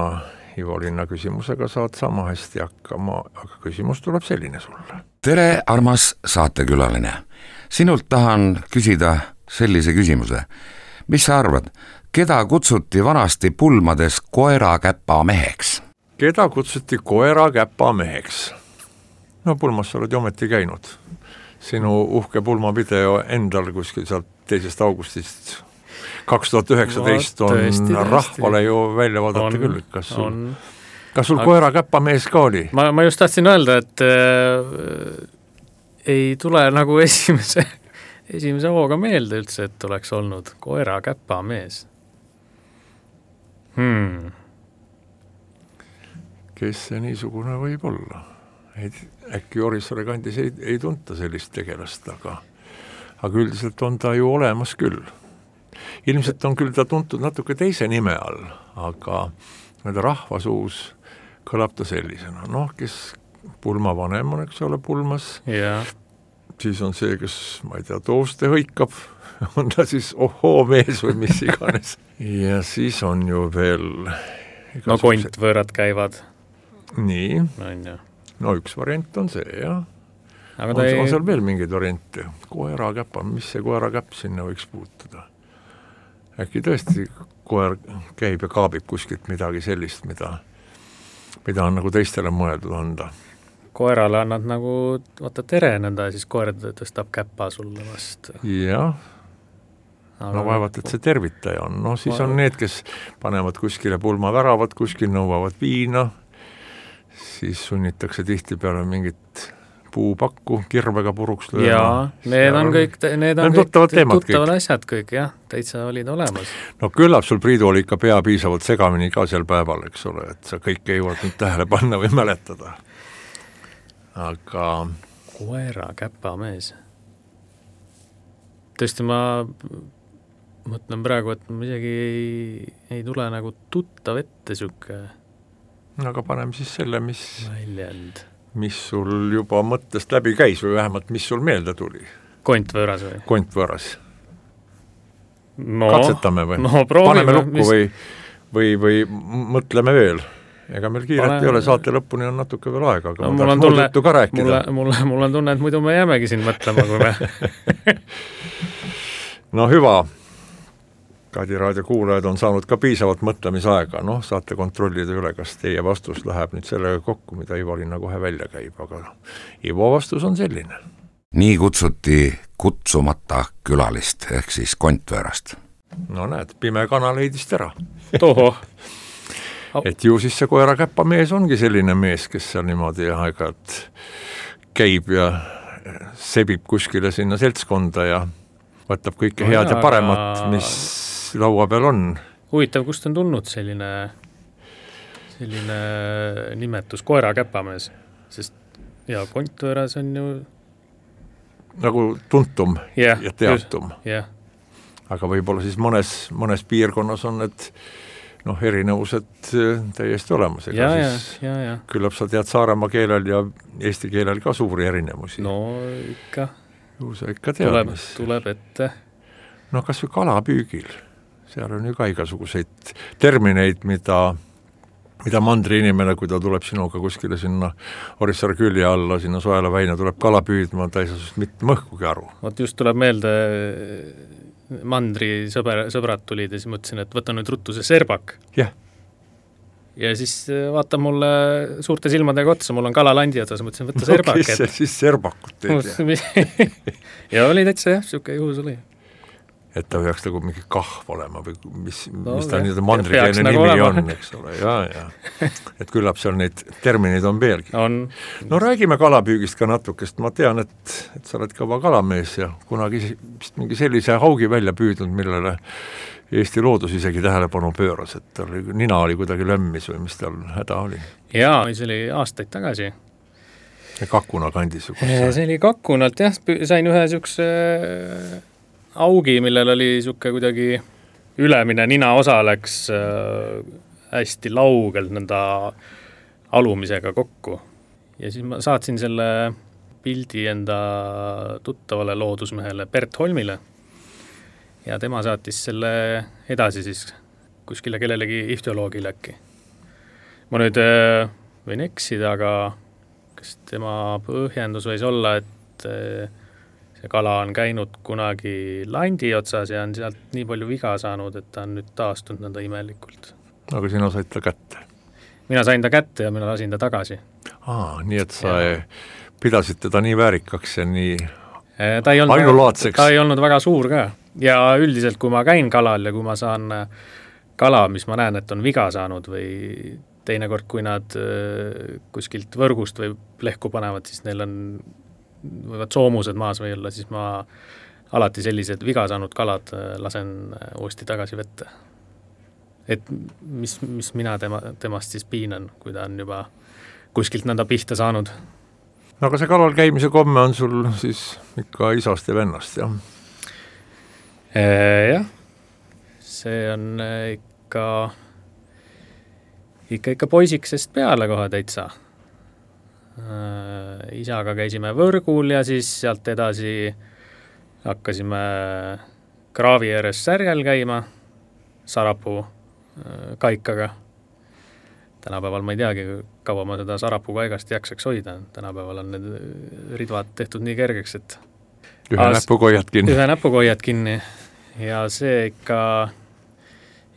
A: Ivo Linna küsimusega saad sama hästi hakkama, aga küsimus tuleb selline sulle.
D: Tere, armas saatekülaline! Sinult tahan küsida sellise küsimuse. Mis sa arvad, keda kutsuti vanasti pulmades koerakäpa meheks?
A: Keda kutsuti koerakäpa meheks? No pulmas sa oled ju ometi käinud. Sinu uhke pulmavideo endal kuskil sealt teisest augustist kaks tuhat üheksateist on tõesti, tõesti. Rahvale ju välja vaadata on, küll. Kas sul, on. kas sul koerakäpa mees ka oli?
B: Ma, ma just tahtsin öelda, et äh, ei tule nagu esimese, esimese hooga meelde üldse, et oleks olnud koerakäpa mees. Hmm.
A: Kes see niisugune võib olla? Ei, äkki Orissaare kandis ei, ei tunta sellist tegelast, aga, aga üldiselt on ta ju olemas küll. Ilmselt on küll ta tuntud natuke teise nime all, aga rahvasuus kõlab ta sellisena. Noh, kes pulma vanem on, eks ole, pulmas.
B: Ja.
A: Siis on see, kes, ma ei tea, tooste hõikab, on ta siis ohoo mees või mis iganes. Ja siis on ju veel...
B: No kontvõõrad käivad.
A: Nii.
B: No, ja.
A: no üks variant on see, jah.
B: Aga
A: on,
B: ei...
A: on seal veel mingeid variante. Koerakäpa, mis see koerakäpp sinna võiks puutuda? Äkki tõesti koer käib ja kaabib kuskilt midagi sellist, mida, mida on nagu teistele mõeldud anda.
B: Koerale annad nagu, vaata tere nõnda, siis koer tõstab käppa sulle vast.
A: Jah. no vaevalt, et see tervitaja on, no siis on need, kes panevad kuskile pulmaväravat, kuskil nõuavad viina, siis sunnitakse tihtipeale mingit puupakku kirvega puruks lööma.
B: Jaa, need on kõik, need on kõik
A: tuttavad,
B: tuttavad asjad kõik, jah, täitsa olid olemas.
A: No küllap sul, Priidu, oli ikka pea piisavalt segamini ka seal päeval, eks ole, et sa kõike ei jõuad nüüd tähele panna või mäletada. Aga
B: koera käpamees. Tõesti, ma mõtlen praegu, et ma isegi ei, ei tule nagu tuttav ette süke
A: aga paneme siis selle, mis,
B: väljend.
A: mis sul juba mõttest läbi käis või vähemalt, mis sul meelde tuli.
B: Kontvõõras või?
A: Kontvõõras.
B: No,
A: katsetame või?
B: No, proovime,
A: paneme lukku
B: mis...
A: või, või, või mõtleme veel. Ega meil kiiret Pane... ei ole, saate lõpuni on natuke veel aega, aga no, ma tahaks muud juttu ka rääkida.
B: Mulle, mulle, mulle on tunne, et muidu me jäämegi siin mõtlema, kui me...
A: no hüva. Kadi raadio kuulajad on saanud ka piisavalt mõtlemisaega, noh, saate kontrollida üle, kas teie vastus läheb nüüd sellega kokku, mida Ivo-Linna kohe välja käib, aga Ivo vastus on selline.
D: Nii kutsuti kutsumata külalist, ehk siis Kontvõõrast.
A: No näed, pime kana leidis tera.
B: Toho.
A: Et ju siis see koera käpamees ongi selline mees, kes seal niimoodi aeg-ajalt käib ja sebib kuskile sinna seltskonda ja võtab kõike no head ja, ja paremat, mis laua peal on.
B: Huvitav, kust on tulnud selline, selline nimetus koera käpamees, sest ja Kontvõõras on ju
A: nagu tuntum yeah, ja teatum.
B: Yeah.
A: Aga võib-olla siis mõnes, mõnes piirkonnas on need noh, erinevused täiesti olemas. Ega
B: ja,
A: siis
B: ja, ja, ja.
A: Küllap sa tead Saaremaa keelel ja eesti keelel ka suuri erinevusi.
B: No ikka.
A: Ju sa ikka tead,
B: tuleb,
A: mis.
B: tuleb ette.
A: No kas või kalapüügil. Seal on ju ka igasuguseid termineid, mida, mida mandri inimene, kui ta tuleb sinuga kuskile sinna Orissaare külje alla, sinna Soela väina, tuleb kala püüdma, ta ei saa sest mitte mõhkugi aru.
B: Vot just tuleb meelde, mandri sõber, sõbrad tulid ja siis mõtlesin, et võta nüüd ruttu see serbak.
A: Jah.
B: Ja siis vaata mulle suurte silmadega otsa, mul on kalalandi otsas, mõtlesin, võtta serbak.
A: No kes see siis serbakut teed?
B: Ja oli täitsa jah, siuke juhus oli.
A: Et ta peaks nagu mingi kahv olema või mis,
B: no,
A: mis ta nii mandrikeelne
B: nagu
A: nimi
B: olema.
A: on, eks ole, ja, ja. Et küllap seal neid termineid on veelgi.
B: On.
A: No räägime kalapüügist ka natukest, ma tean, et, et sa oled kõva kalamees ja kunagi vist mingi sellise haugi välja püüdnud, millele Eesti loodus isegi tähelepanu pööras, et tal nina oli kuidagi lömmis või mis tal häda oli.
B: Jaa, see oli aastaid tagasi.
A: Ja Kakuna kandis.
B: See oli Kakunalt, jah, sain ühe siukse augi, millel oli siuke kuidagi ülemine nina osa läks äh, hästi laugelt nõnda alumisega kokku. Ja siis ma saatsin selle pildi enda tuttavale loodusmehele Bert Holmile ja tema saatis selle edasi siis kuskile kellelegi ihtioloogile äkki. Ma nüüd äh, võin eksida, aga kas tema põhjendus võis olla, et äh, see kala on käinud kunagi landi otsas ja on sealt nii palju viga saanud, et ta on nüüd taastunud nõnda imelikult.
A: Aga sina said ta kätte?
B: Mina sain ta kätte ja mina lasin ta tagasi.
A: Aa, nii et sa ja. pidasid teda nii väärikaks ja nii
B: ta ei olnud
A: ainulaadseks?
B: Ta ei olnud väga suur ka. Ja üldiselt, kui ma käin kalal ja kui ma saan kala, mis ma näen, et on viga saanud või teinekord, kui nad kuskilt võrgust või lehku panevad, siis neil on võivad soomused maas või olla, siis ma alati sellised viga saanud kalad lasen uuesti tagasi vette. Et mis, mis mina tema, temast siis piinan, kui ta on juba kuskilt nõnda pihta saanud.
A: No aga see kalal käimise komme on sul siis ikka isast ja vennast, jah?
B: E, jah, see on ikka ikka, ikka poisiksest peale kohe täitsa. Isaga käisime võrgul ja siis sealt edasi hakkasime kraavi ääres särjel käima Sarapuu kaikaga. Tänapäeval ma ei teagi, kaua ma seda Sarapuu kaigast jaksaks hoida. Tänapäeval on need ridvad tehtud nii kergeks, et
A: ühe As, näpuga hoiad kinni.
B: Ühe näpuga hoiad kinni ja see ikka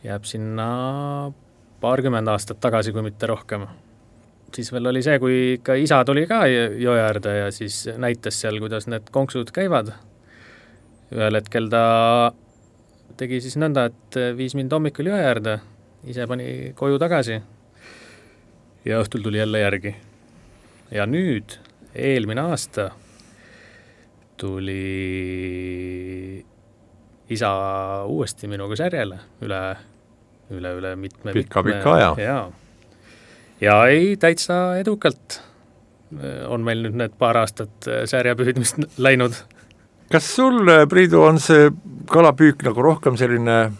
B: jääb sinna paarkümmend aastat tagasi, kui mitte rohkem. Siis veel oli see, kui ikka isa tuli ka joe äärde ja siis näitas seal, kuidas need konksud käivad. Ühel hetkel ta tegi siis nõnda, et viis mind hommikul jõe äärde, ise pani koju tagasi ja õhtul tuli jälle järgi. Ja nüüd, eelmine aasta, tuli isa uuesti minuga särjele üle, üle, üle mitme,
A: Pika,
B: mitme,
A: pika aja.
B: Ja, ja ei, täitsa edukalt on meil nüüd need paar aastat särjapüüdmist läinud.
A: Kas sul, Priidu, on see kalapüük nagu rohkem selline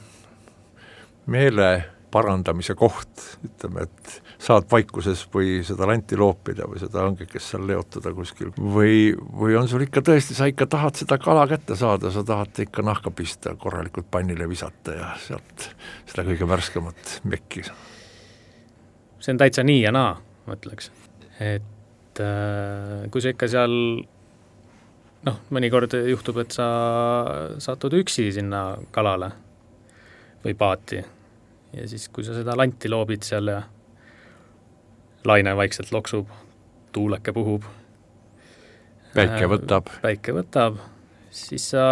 A: meele parandamise koht, ütleme, et saad vaikuses või seda lanti loopida või seda õngekest seal leotada kuskil või, või on sul ikka tõesti, sa ikka tahad seda kala kätte saada, sa tahad ikka nahka pista, korralikult pannile visata ja sealt seda kõige värskemat mekki.
B: See on täitsa nii ja naa, ma ütleks. Et äh, kui sa ikka seal noh, mõnikord juhtub, et sa satud üksi sinna kalale või paati ja siis, kui sa seda lanti loobid seal ja laine vaikselt loksub, tuuleke puhub.
A: Päike võtab.
B: Päike võtab, siis sa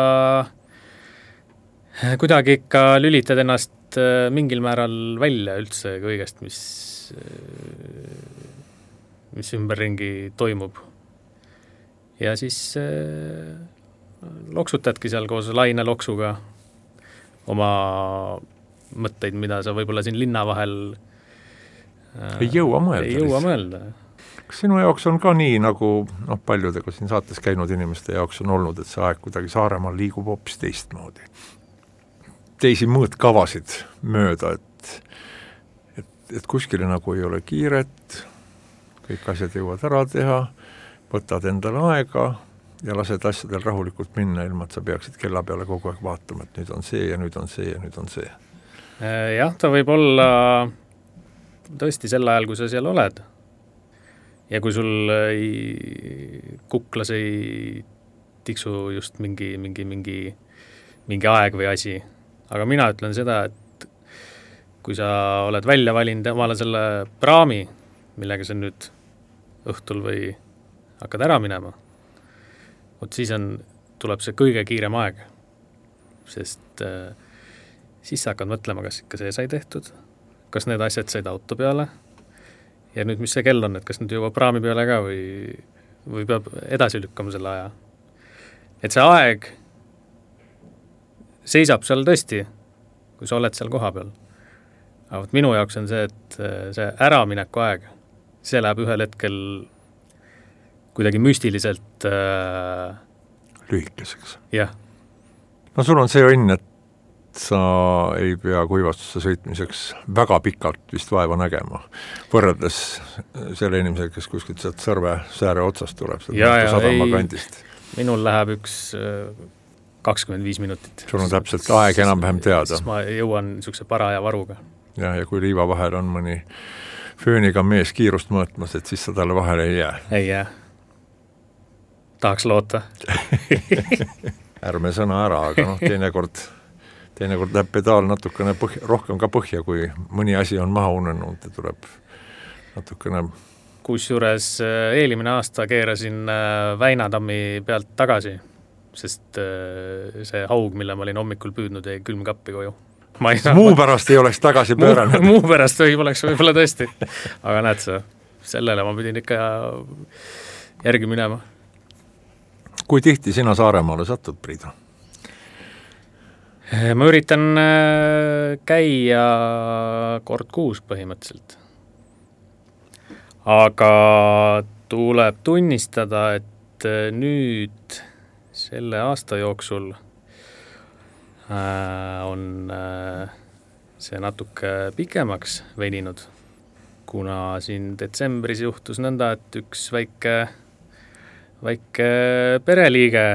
B: kuidagi ikka lülitad ennast mingil määral välja üldse kõigest, mis, mis ümberringi toimub. Ja siis loksutadki seal koos laine loksuga oma mõtteid, mida sa võib-olla siin linna vahel
A: ei jõua mõelda.
B: Ei jõua mõelda.
A: Kas sinu jaoks on ka nii, nagu noh, paljudega siin saates käinud inimeste jaoks on olnud, et see aeg kuidagi Saaremaal liigub hoopis teistmoodi? Teisi mõõtkavasid mööda, et, et, et kuskile nagu ei ole kiiret, kõik asjad jõuad ära teha, võtad endale aega ja lased asjadel rahulikult minna, ilma et sa peaksid kella peale kogu aeg vaatama, et nüüd on see ja nüüd on see ja nüüd on see.
B: Jah, ta võib olla tõesti sel ajal, kui sa seal oled. Ja kui sul ei, kuklas ei tiksu just mingi, mingi, mingi, mingi aeg või asi. Aga mina ütlen seda, et kui sa oled välja valinud omale selle praami, millega sa nüüd õhtul või hakkad ära minema, vot siis on, tuleb see kõige kiirem aeg. Sest äh, siis sa hakkad mõtlema, kas ikka see sai tehtud, kas need asjad said auto peale ja nüüd mis see kell on, et kas nüüd jõuab praami peale ka või, või peab edasi lükkama selle aja. Et see aeg seisab seal tõesti, kui sa oled seal koha peal. Aga võt minu jaoks on see, et see äramineku aeg, see läheb ühel hetkel kuidagi müstiliselt äh...
A: lühikeseks.
B: Jah.
A: No sul on see õnn, et sa ei pea kuivastusse sõitmiseks väga pikalt vist vaeva nägema, võrreldes selle inimesega, kes kuskilt sealt Sõrve sääre otsast tuleb,
B: ja, ja,
A: sadama kandist.
B: Minul läheb üks kakskümmend viis minutit.
A: Sul on täpselt aeg enam-vähem teada.
B: Siis ma jõuan niisuguse paraja varuga.
A: Ja, ja kui liiva vahel on mõni fööniga mees kiirust mõõtmas, et siis sa talle vahele ei jää.
B: Ei jää. Tahaks loota.
A: Ärme sõna ära, aga noh, teinekord teinekord läheb pedaal natukene põhja, rohkem ka põhja, kui mõni asi on maha unenud ja tuleb natukene.
B: Kusjuures eelmine aasta keerasin Väinatammi pealt tagasi, sest see haug, mille ma olin hommikul püüdnud, jäi külmkappi koju. Ma ei saa,
A: muu pärast ei oleks tagasi pööranud.
B: Muu, muu pärast või oleks võib-olla tõesti. Aga näed sa, sellele ma pidin ikka järgi minema.
A: Kui tihti sina Saaremaale satud, Priidu?
B: Ma üritan käia kord kuus põhimõtteliselt. Aga tuleb tunnistada, et nüüd selle aasta jooksul on see natuke pikemaks veninud, kuna siin detsembris juhtus nõnda, et üks väike, väike pereliige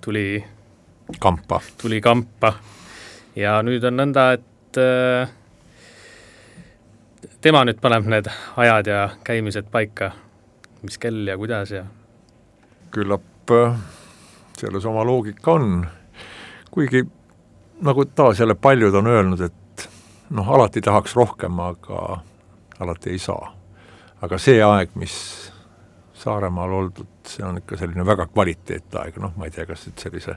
B: tuli
A: kampa.
B: tuli kampa. Ja nüüd on nõnda, et äh, tema nüüd paneb need ajad ja käimised paika, mis kell ja kuidas ja.
A: Küllap äh, selles oma loogika on, kuigi nagu taas jälle paljud on öelnud, et noh, alati tahaks rohkem, aga alati ei saa. Aga see aeg, mis Saaremaal oldud, see on ikka selline väga kvaliteetaeg, noh, ma ei tea, kas nüüd sellise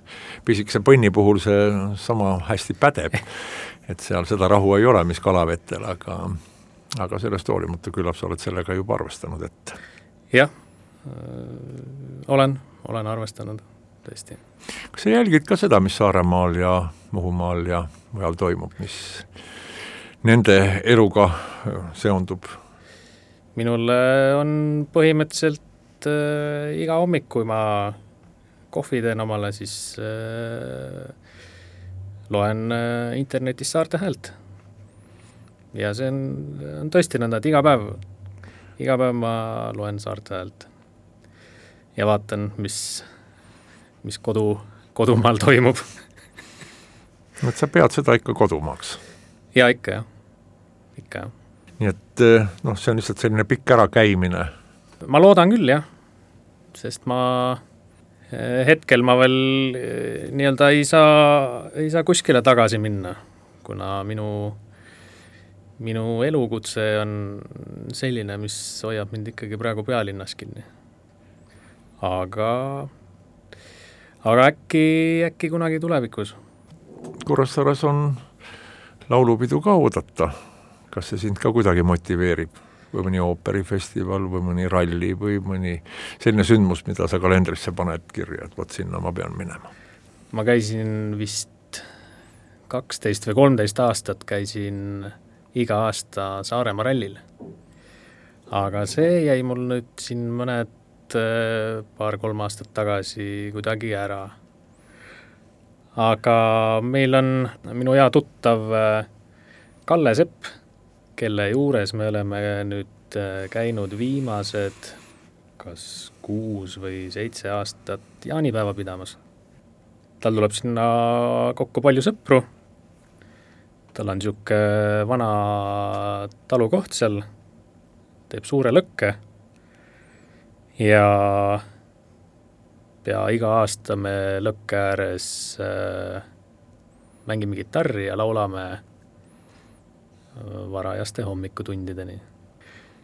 A: pisikese põnni puhul see sama hästi pädeb, et seal seda rahu ei ole, mis kalavettel, aga, aga sellest hoolimata küllap sa oled sellega juba arvestanud, et
B: jah, olen, olen arvestanud, tõesti.
A: Kas sa jälgid ka seda, mis Saaremaal ja Muhumaal ja mujal toimub, mis nende eluga seondub?
B: Minul on põhimõtteliselt äh, iga hommik, kui ma kohvi teen omale, siis äh, loen äh, internetis Saarte Häält. Ja see on, on tõesti nõnda, et iga päev, iga päev ma loen Saarte Häält. Ja vaatan, mis, mis kodu, kodumaal toimub.
A: Et sa pead seda ikka kodumaaks?
B: Ja ikka jah, ikka jah.
A: Nii et noh, see on lihtsalt selline pikk ära käimine.
B: Ma loodan küll, jah. Sest ma hetkel ma veel nii-öelda ei saa, ei saa kuskile tagasi minna, kuna minu, minu elukutse on selline, mis hoiab mind ikkagi praegu pealinnas kinni. Aga, aga äkki, äkki kunagi tulevikus.
A: Kuressaares on laulupidu ka oodata. Kas see sind ka kuidagi motiveerib? Või mõni ooperifestival või mõni ralli või mõni selline sündmus, mida sa kalendrisse paned kirja, et võt sinna ma pean minema?
B: Ma käisin vist kaksteist või kolmteist aastat käisin iga aasta Saaremaa rallil. Aga see jäi mul nüüd siin mõned paar-kolm aastat tagasi kuidagi ära. Aga meil on minu hea tuttav Kalle Sepp, kelle juures me oleme nüüd käinud viimased kas kuus või seitse aastat jaanipäeva pidamas. Tal tuleb sinna kokku palju sõpru. Tal on siuke vana talukoht seal, teeb suure lõkke ja pea iga aasta me lõkke ääres äh, mängime kitarri ja laulame varajaste hommikutundideni.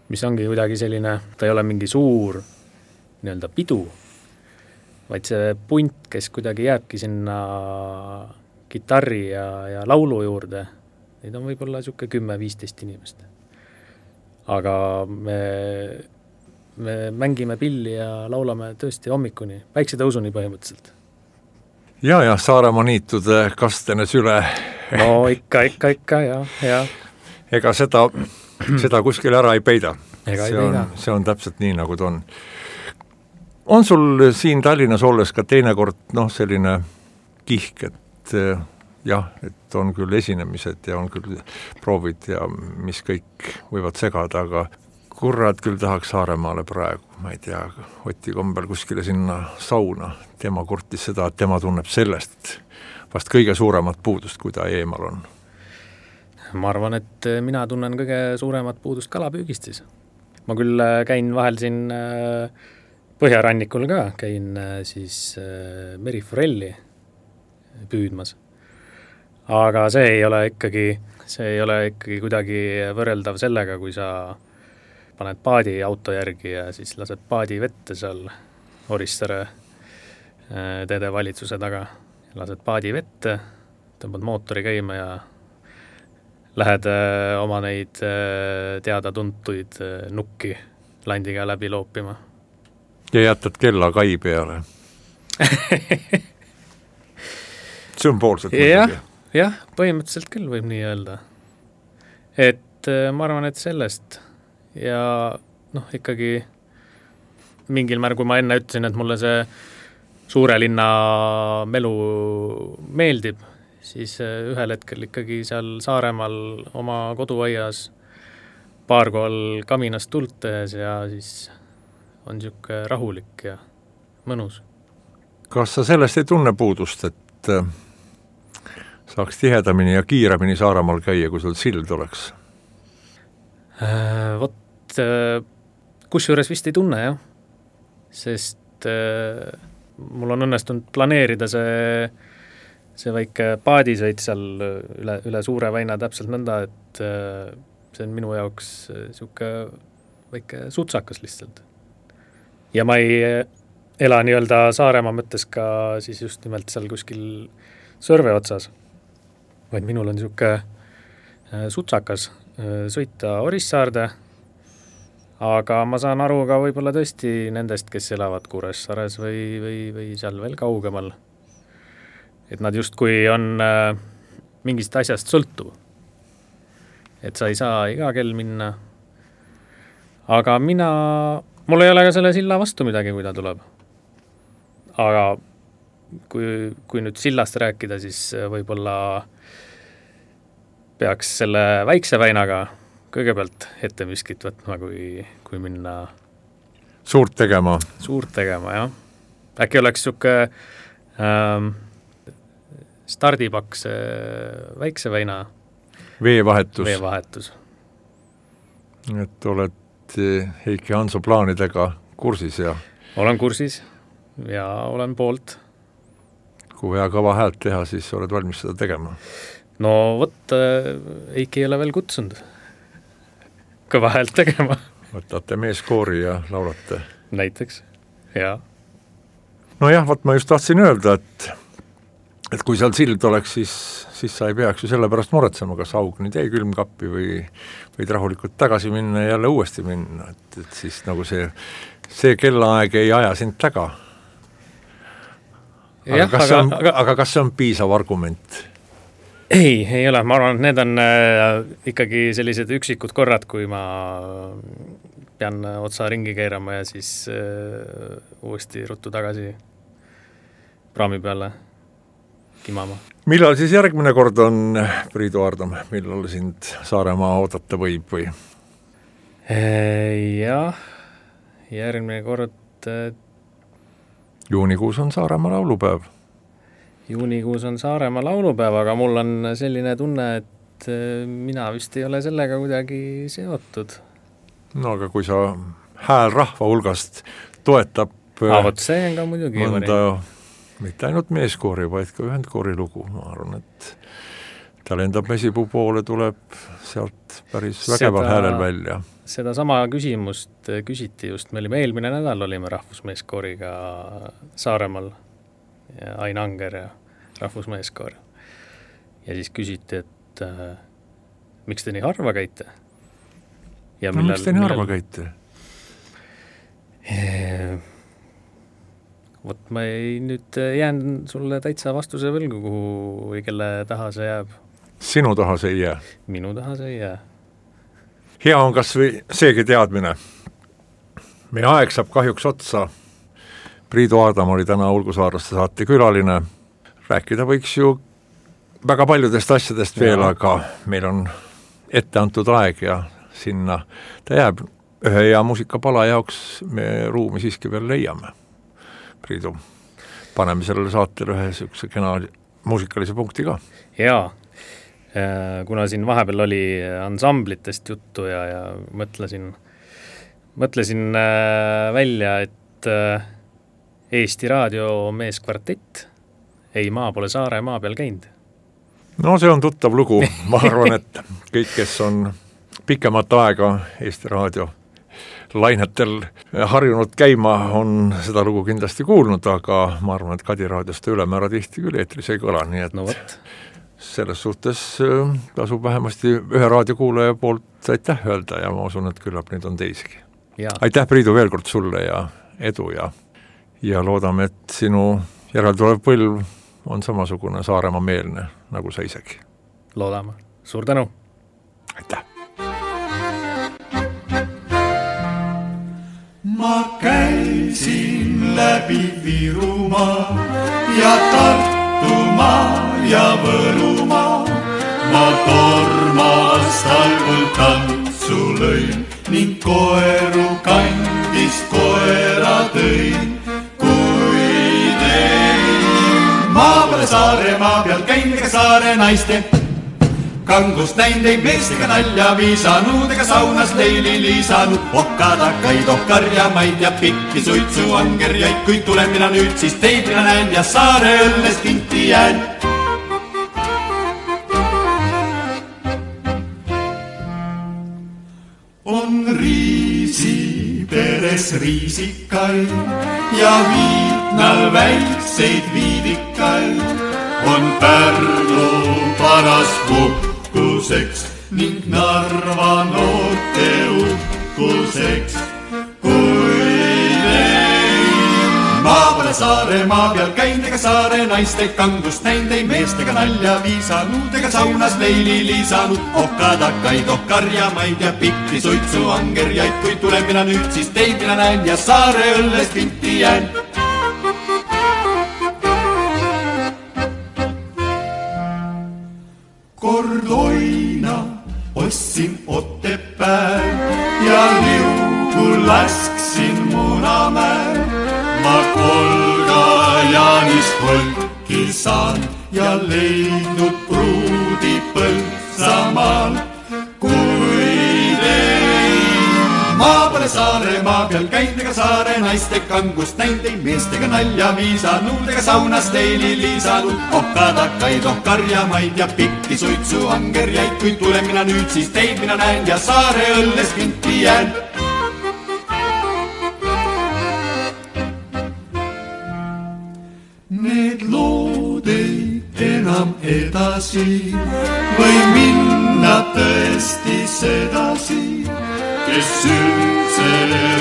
B: Mis ongi kuidagi selline, ta ei ole mingi suur nii-öelda pidu, vaid see punt, kes kuidagi jääbki sinna kitarri ja, ja laulu juurde, neid on võib-olla siuke kümme-viisteist inimest. Aga me, me mängime pilli ja laulame tõesti hommikuni, päiksetõusuni põhimõtteliselt.
A: Ja, ja Saaremaa niitude kastene süle.
B: No ikka, ikka, ikka, ja, ja.
A: Ega seda, seda kuskil ära ei peida.
B: Ega
A: see,
B: ei peida.
A: On, see on täpselt nii, nagu ta on. On sul siin Tallinnas olles ka teinekord noh, selline kihk, et jah, et on küll esinemised ja on küll proovid ja mis kõik võivad segada, aga kurrad küll tahaks Saaremaale praegu, ma ei tea, Oti kombel kuskile sinna sauna. Tema kurtis seda, et tema tunneb sellest vast kõige suuremat puudust, kui ta eemal on.
B: Ma arvan, et mina tunnen kõige suuremat puudust kalapüügist siis. Ma küll käin vahel siin Põhjarannikul ka, käin siis meriforelli püüdmas. Aga see ei ole ikkagi, see ei ole ikkagi kuidagi võrreldav sellega, kui sa paned paadi auto järgi ja siis lased paadi vette seal Orissaare teede valitsuse taga. Lased paadi vette, tõmbad mootori käima ja lähed oma neid teada-tuntuid nukki landiga läbi loopima.
A: Ja jätad kella kai peale. Sümboolselt
B: muidugi. Jah, põhimõtteliselt küll võib nii öelda. Et ma arvan, et sellest ja noh, ikkagi mingil määral, kui ma enne ütlesin, et mulle see suure linna melu meeldib, siis ühel hetkel ikkagi seal Saaremaal oma koduaias paar kohal kaminast tuld tehes ja siis on siuke rahulik ja mõnus.
A: Kas sa sellest ei tunne puudust, et saaks tihedamini ja kiiremini Saaremaal käia, kui sul sild oleks?
B: Äh, vot, kus juures vist ei tunne, jah. Sest äh, mul on õnnestunud planeerida see see väike paadisõit seal üle, üle Suure väina täpselt nõnda, et see on minu jaoks siuke väike sutsakas lihtsalt. ja ma ei ela nii-öelda Saaremaa mõttes ka siis just nimelt seal kuskil Sõrve otsas, vaid minul on siuke sutsakas sõita Orissaarde, aga ma saan aru ka võib-olla tõesti nendest, kes elavad Kuressaares või, või, või seal veel kaugemal. Et nad justkui on mingist asjast sõltuv. Et sa ei saa iga kell minna. Aga mina, mul ei ole ka selle silla vastu midagi, kui ta tuleb. Aga kui, kui nüüd sillast rääkida, siis võib-olla peaks selle väikse väinaga kõigepealt ette miskit võtma, kui, kui minna
A: suurt tegema.
B: Suurt tegema, jah. Äkki oleks siuke ähm, stardipaks väikse väina
A: veevahetus.
B: veevahetus.
A: Et oled Heiki Hanso plaanidega kursis ja
B: olen kursis ja olen poolt.
A: Kui vaja kõva häält teha, siis oled valmis seda tegema.
B: No võt, Heiki ei ole veel kutsunud kõva häält tegema.
A: Võtate meeskoori ja laulate.
B: Näiteks, jaa.
A: No jah, võt ma just tahtsin öelda, et et kui seal sild oleks, siis, siis sa ei peaks ju selle pärast muretsema, kas aug nüüd jäi külmkappi või võid rahulikult tagasi minna ja jälle uuesti minna, et, et siis nagu see, see kellaaeg ei aja sind taga. Aga,
B: jah,
A: kas
B: aga,
A: on,
B: aga,
A: aga kas see on piisav argument?
B: Ei, ei ole, ma arvan, et need on äh, ikkagi sellised üksikud korrad, kui ma pean otsa ringi keerama ja siis äh, uuesti ruttu tagasi praami peale kimama.
A: Millal siis järgmine kord on, Priidu Aardam, millal sind Saaremaa oodata võib või?
B: Jah, järgmine kord
A: juunikuus on Saaremaa laulupäev.
B: Juunikuus on Saaremaa laulupäev, aga mul on selline tunne, et mina vist ei ole sellega kuidagi seotud.
A: No aga kui sa hääl rahva hulgast toetab
B: ah, võt, see on ka muidugi
A: mõnda, mitte ainult meeskoori, vaid ka ühendkoori lugu, ma arvan, et ta lendab Mesipuu poole, tuleb sealt päris vägeval häälel välja.
B: Seda sama küsimust küsiti just, me olime eelmine nädal, olime rahvusmeeskooriga Saaremaal, ja Ain Anger ja rahvusmeeskoor. Ja siis küsiti, et äh, miks te nii harva käite? Ja
A: no millal, miks te nii harva käite?
B: Eee, võt, ma ei nüüd jään sulle täitsa vastuse võlgu, kuhu või kelle taha see jääb.
A: Sinu taha see ei jää?
B: Minu taha see ei jää.
A: Hea on kas või seegi teadmine. Meie aeg saab kahjuks otsa. Priidu Aardam oli täna Ulgusaarlaste saate külaline. Rääkida võiks ju väga paljudest asjadest veel, ja. Aga meil on ette antud aeg ja sinna ta jääb. Ühe hea muusikapala jaoks me ruumi siiski veel leiame. Priidu, paneme sellele saatele ühe sükse kena muusikalise punkti ka.
B: Jaa, kuna siin vahepeal oli ansamblitest juttu ja, ja mõtlesin, mõtlesin välja, et Eesti Raadio meeskvartett ei maa pole Saare maa peal käinud.
A: No see on tuttav lugu, ma arvan, et kõik, kes on pikemat aega Eesti Raadio lainetel harjunud käima, on seda lugu kindlasti kuulnud, aga ma arvan, et Kadi raadiost ülemäära tihti küll eetris ei kõla, nii et
B: no võt.
A: Selles suhtes tasub vähemasti ühe raadiokuulaja poolt aitäh öelda ja ma usun, et küllap neid on teisigi.
B: Ja.
A: Aitäh, Priidu, veel kord sulle ja edu ja, ja loodame, et sinu järeltulev põlv on samasugune Saaremaa meelne nagu sa isegi.
B: Loodame. Suur tänu.
A: Aitäh.
E: Ma käisin läbi Virumaa ja Tartumaa ja Võrumaa. Ma tormas talgul tantsu lõin ning koeru kandist koera tõin. Kui tein maa peale Saaremaa peal käin ega saare naiste kangust näin teid meestega nalja viisanud ega saunas leili liisanud. Okadakaid, ohkarjamaid ja pikki suitsu angerjaid, kui tulen mina nüüd, siis teid mina näen ja saare õllest kinti jään. On riisi pere juures riisikaid ja Viitnal väikseid viidikaid. On Pärnu paras puhkuseks ning Narva noorte uhkuseks. Maa pole saare maa peal käinud ega saare naiste kangust näinud, ei meestega nalja viisanud ega saunas leili liisanud. Ohkadakaid, ohkarjamaid ja pikki suitsu angerjaid, kui tulen mina nüüd, siis teid mina näen ja saare õllest vinti jään. Kord oina ostsin Otepääl ja liugu lasksin Munamäel. Ma Kolga Jaanist võlki saan ja leidnud pruudi Põltsamaal. Kuid ei, maa pole saare maa peal käinud ega saare naiste kangust näinud, ei meestega nalja viisanud ega saunas leili liisanud. Ohkadakaid, ohkarjamaid ja pikki suitsu angerjaid, kui tulen mina nüüd, siis teid mina näen ja saare õllest vinti jään. Need lood ei enam edasi või minna tõesti sedasi, kes üldse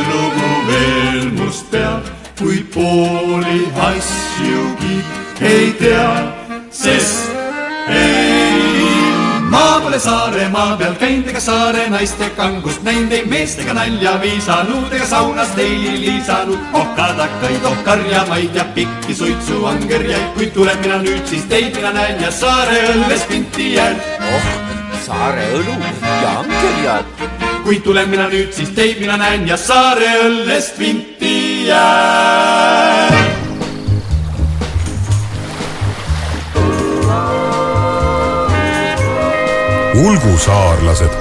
E: lugu veel must peab, kui pooli asjugi ei tea, sest ei maa pole saare maa peal käinud ega saare naiste kangust näinud, ei meestega nalja viisanud ega saunas leili liisanud. Ohkadakaid, ohkarjamaid ja pikki suitsu angerjaid, kui tulen mina nüüd, siis teid mina näen ja saare õllest vinti jään.
F: Oh, saare õlu ja angerjad.
E: Kui tulen mina nüüd, siis teid mina näen ja saare õllest vinti jään.
G: Ulgu saarlased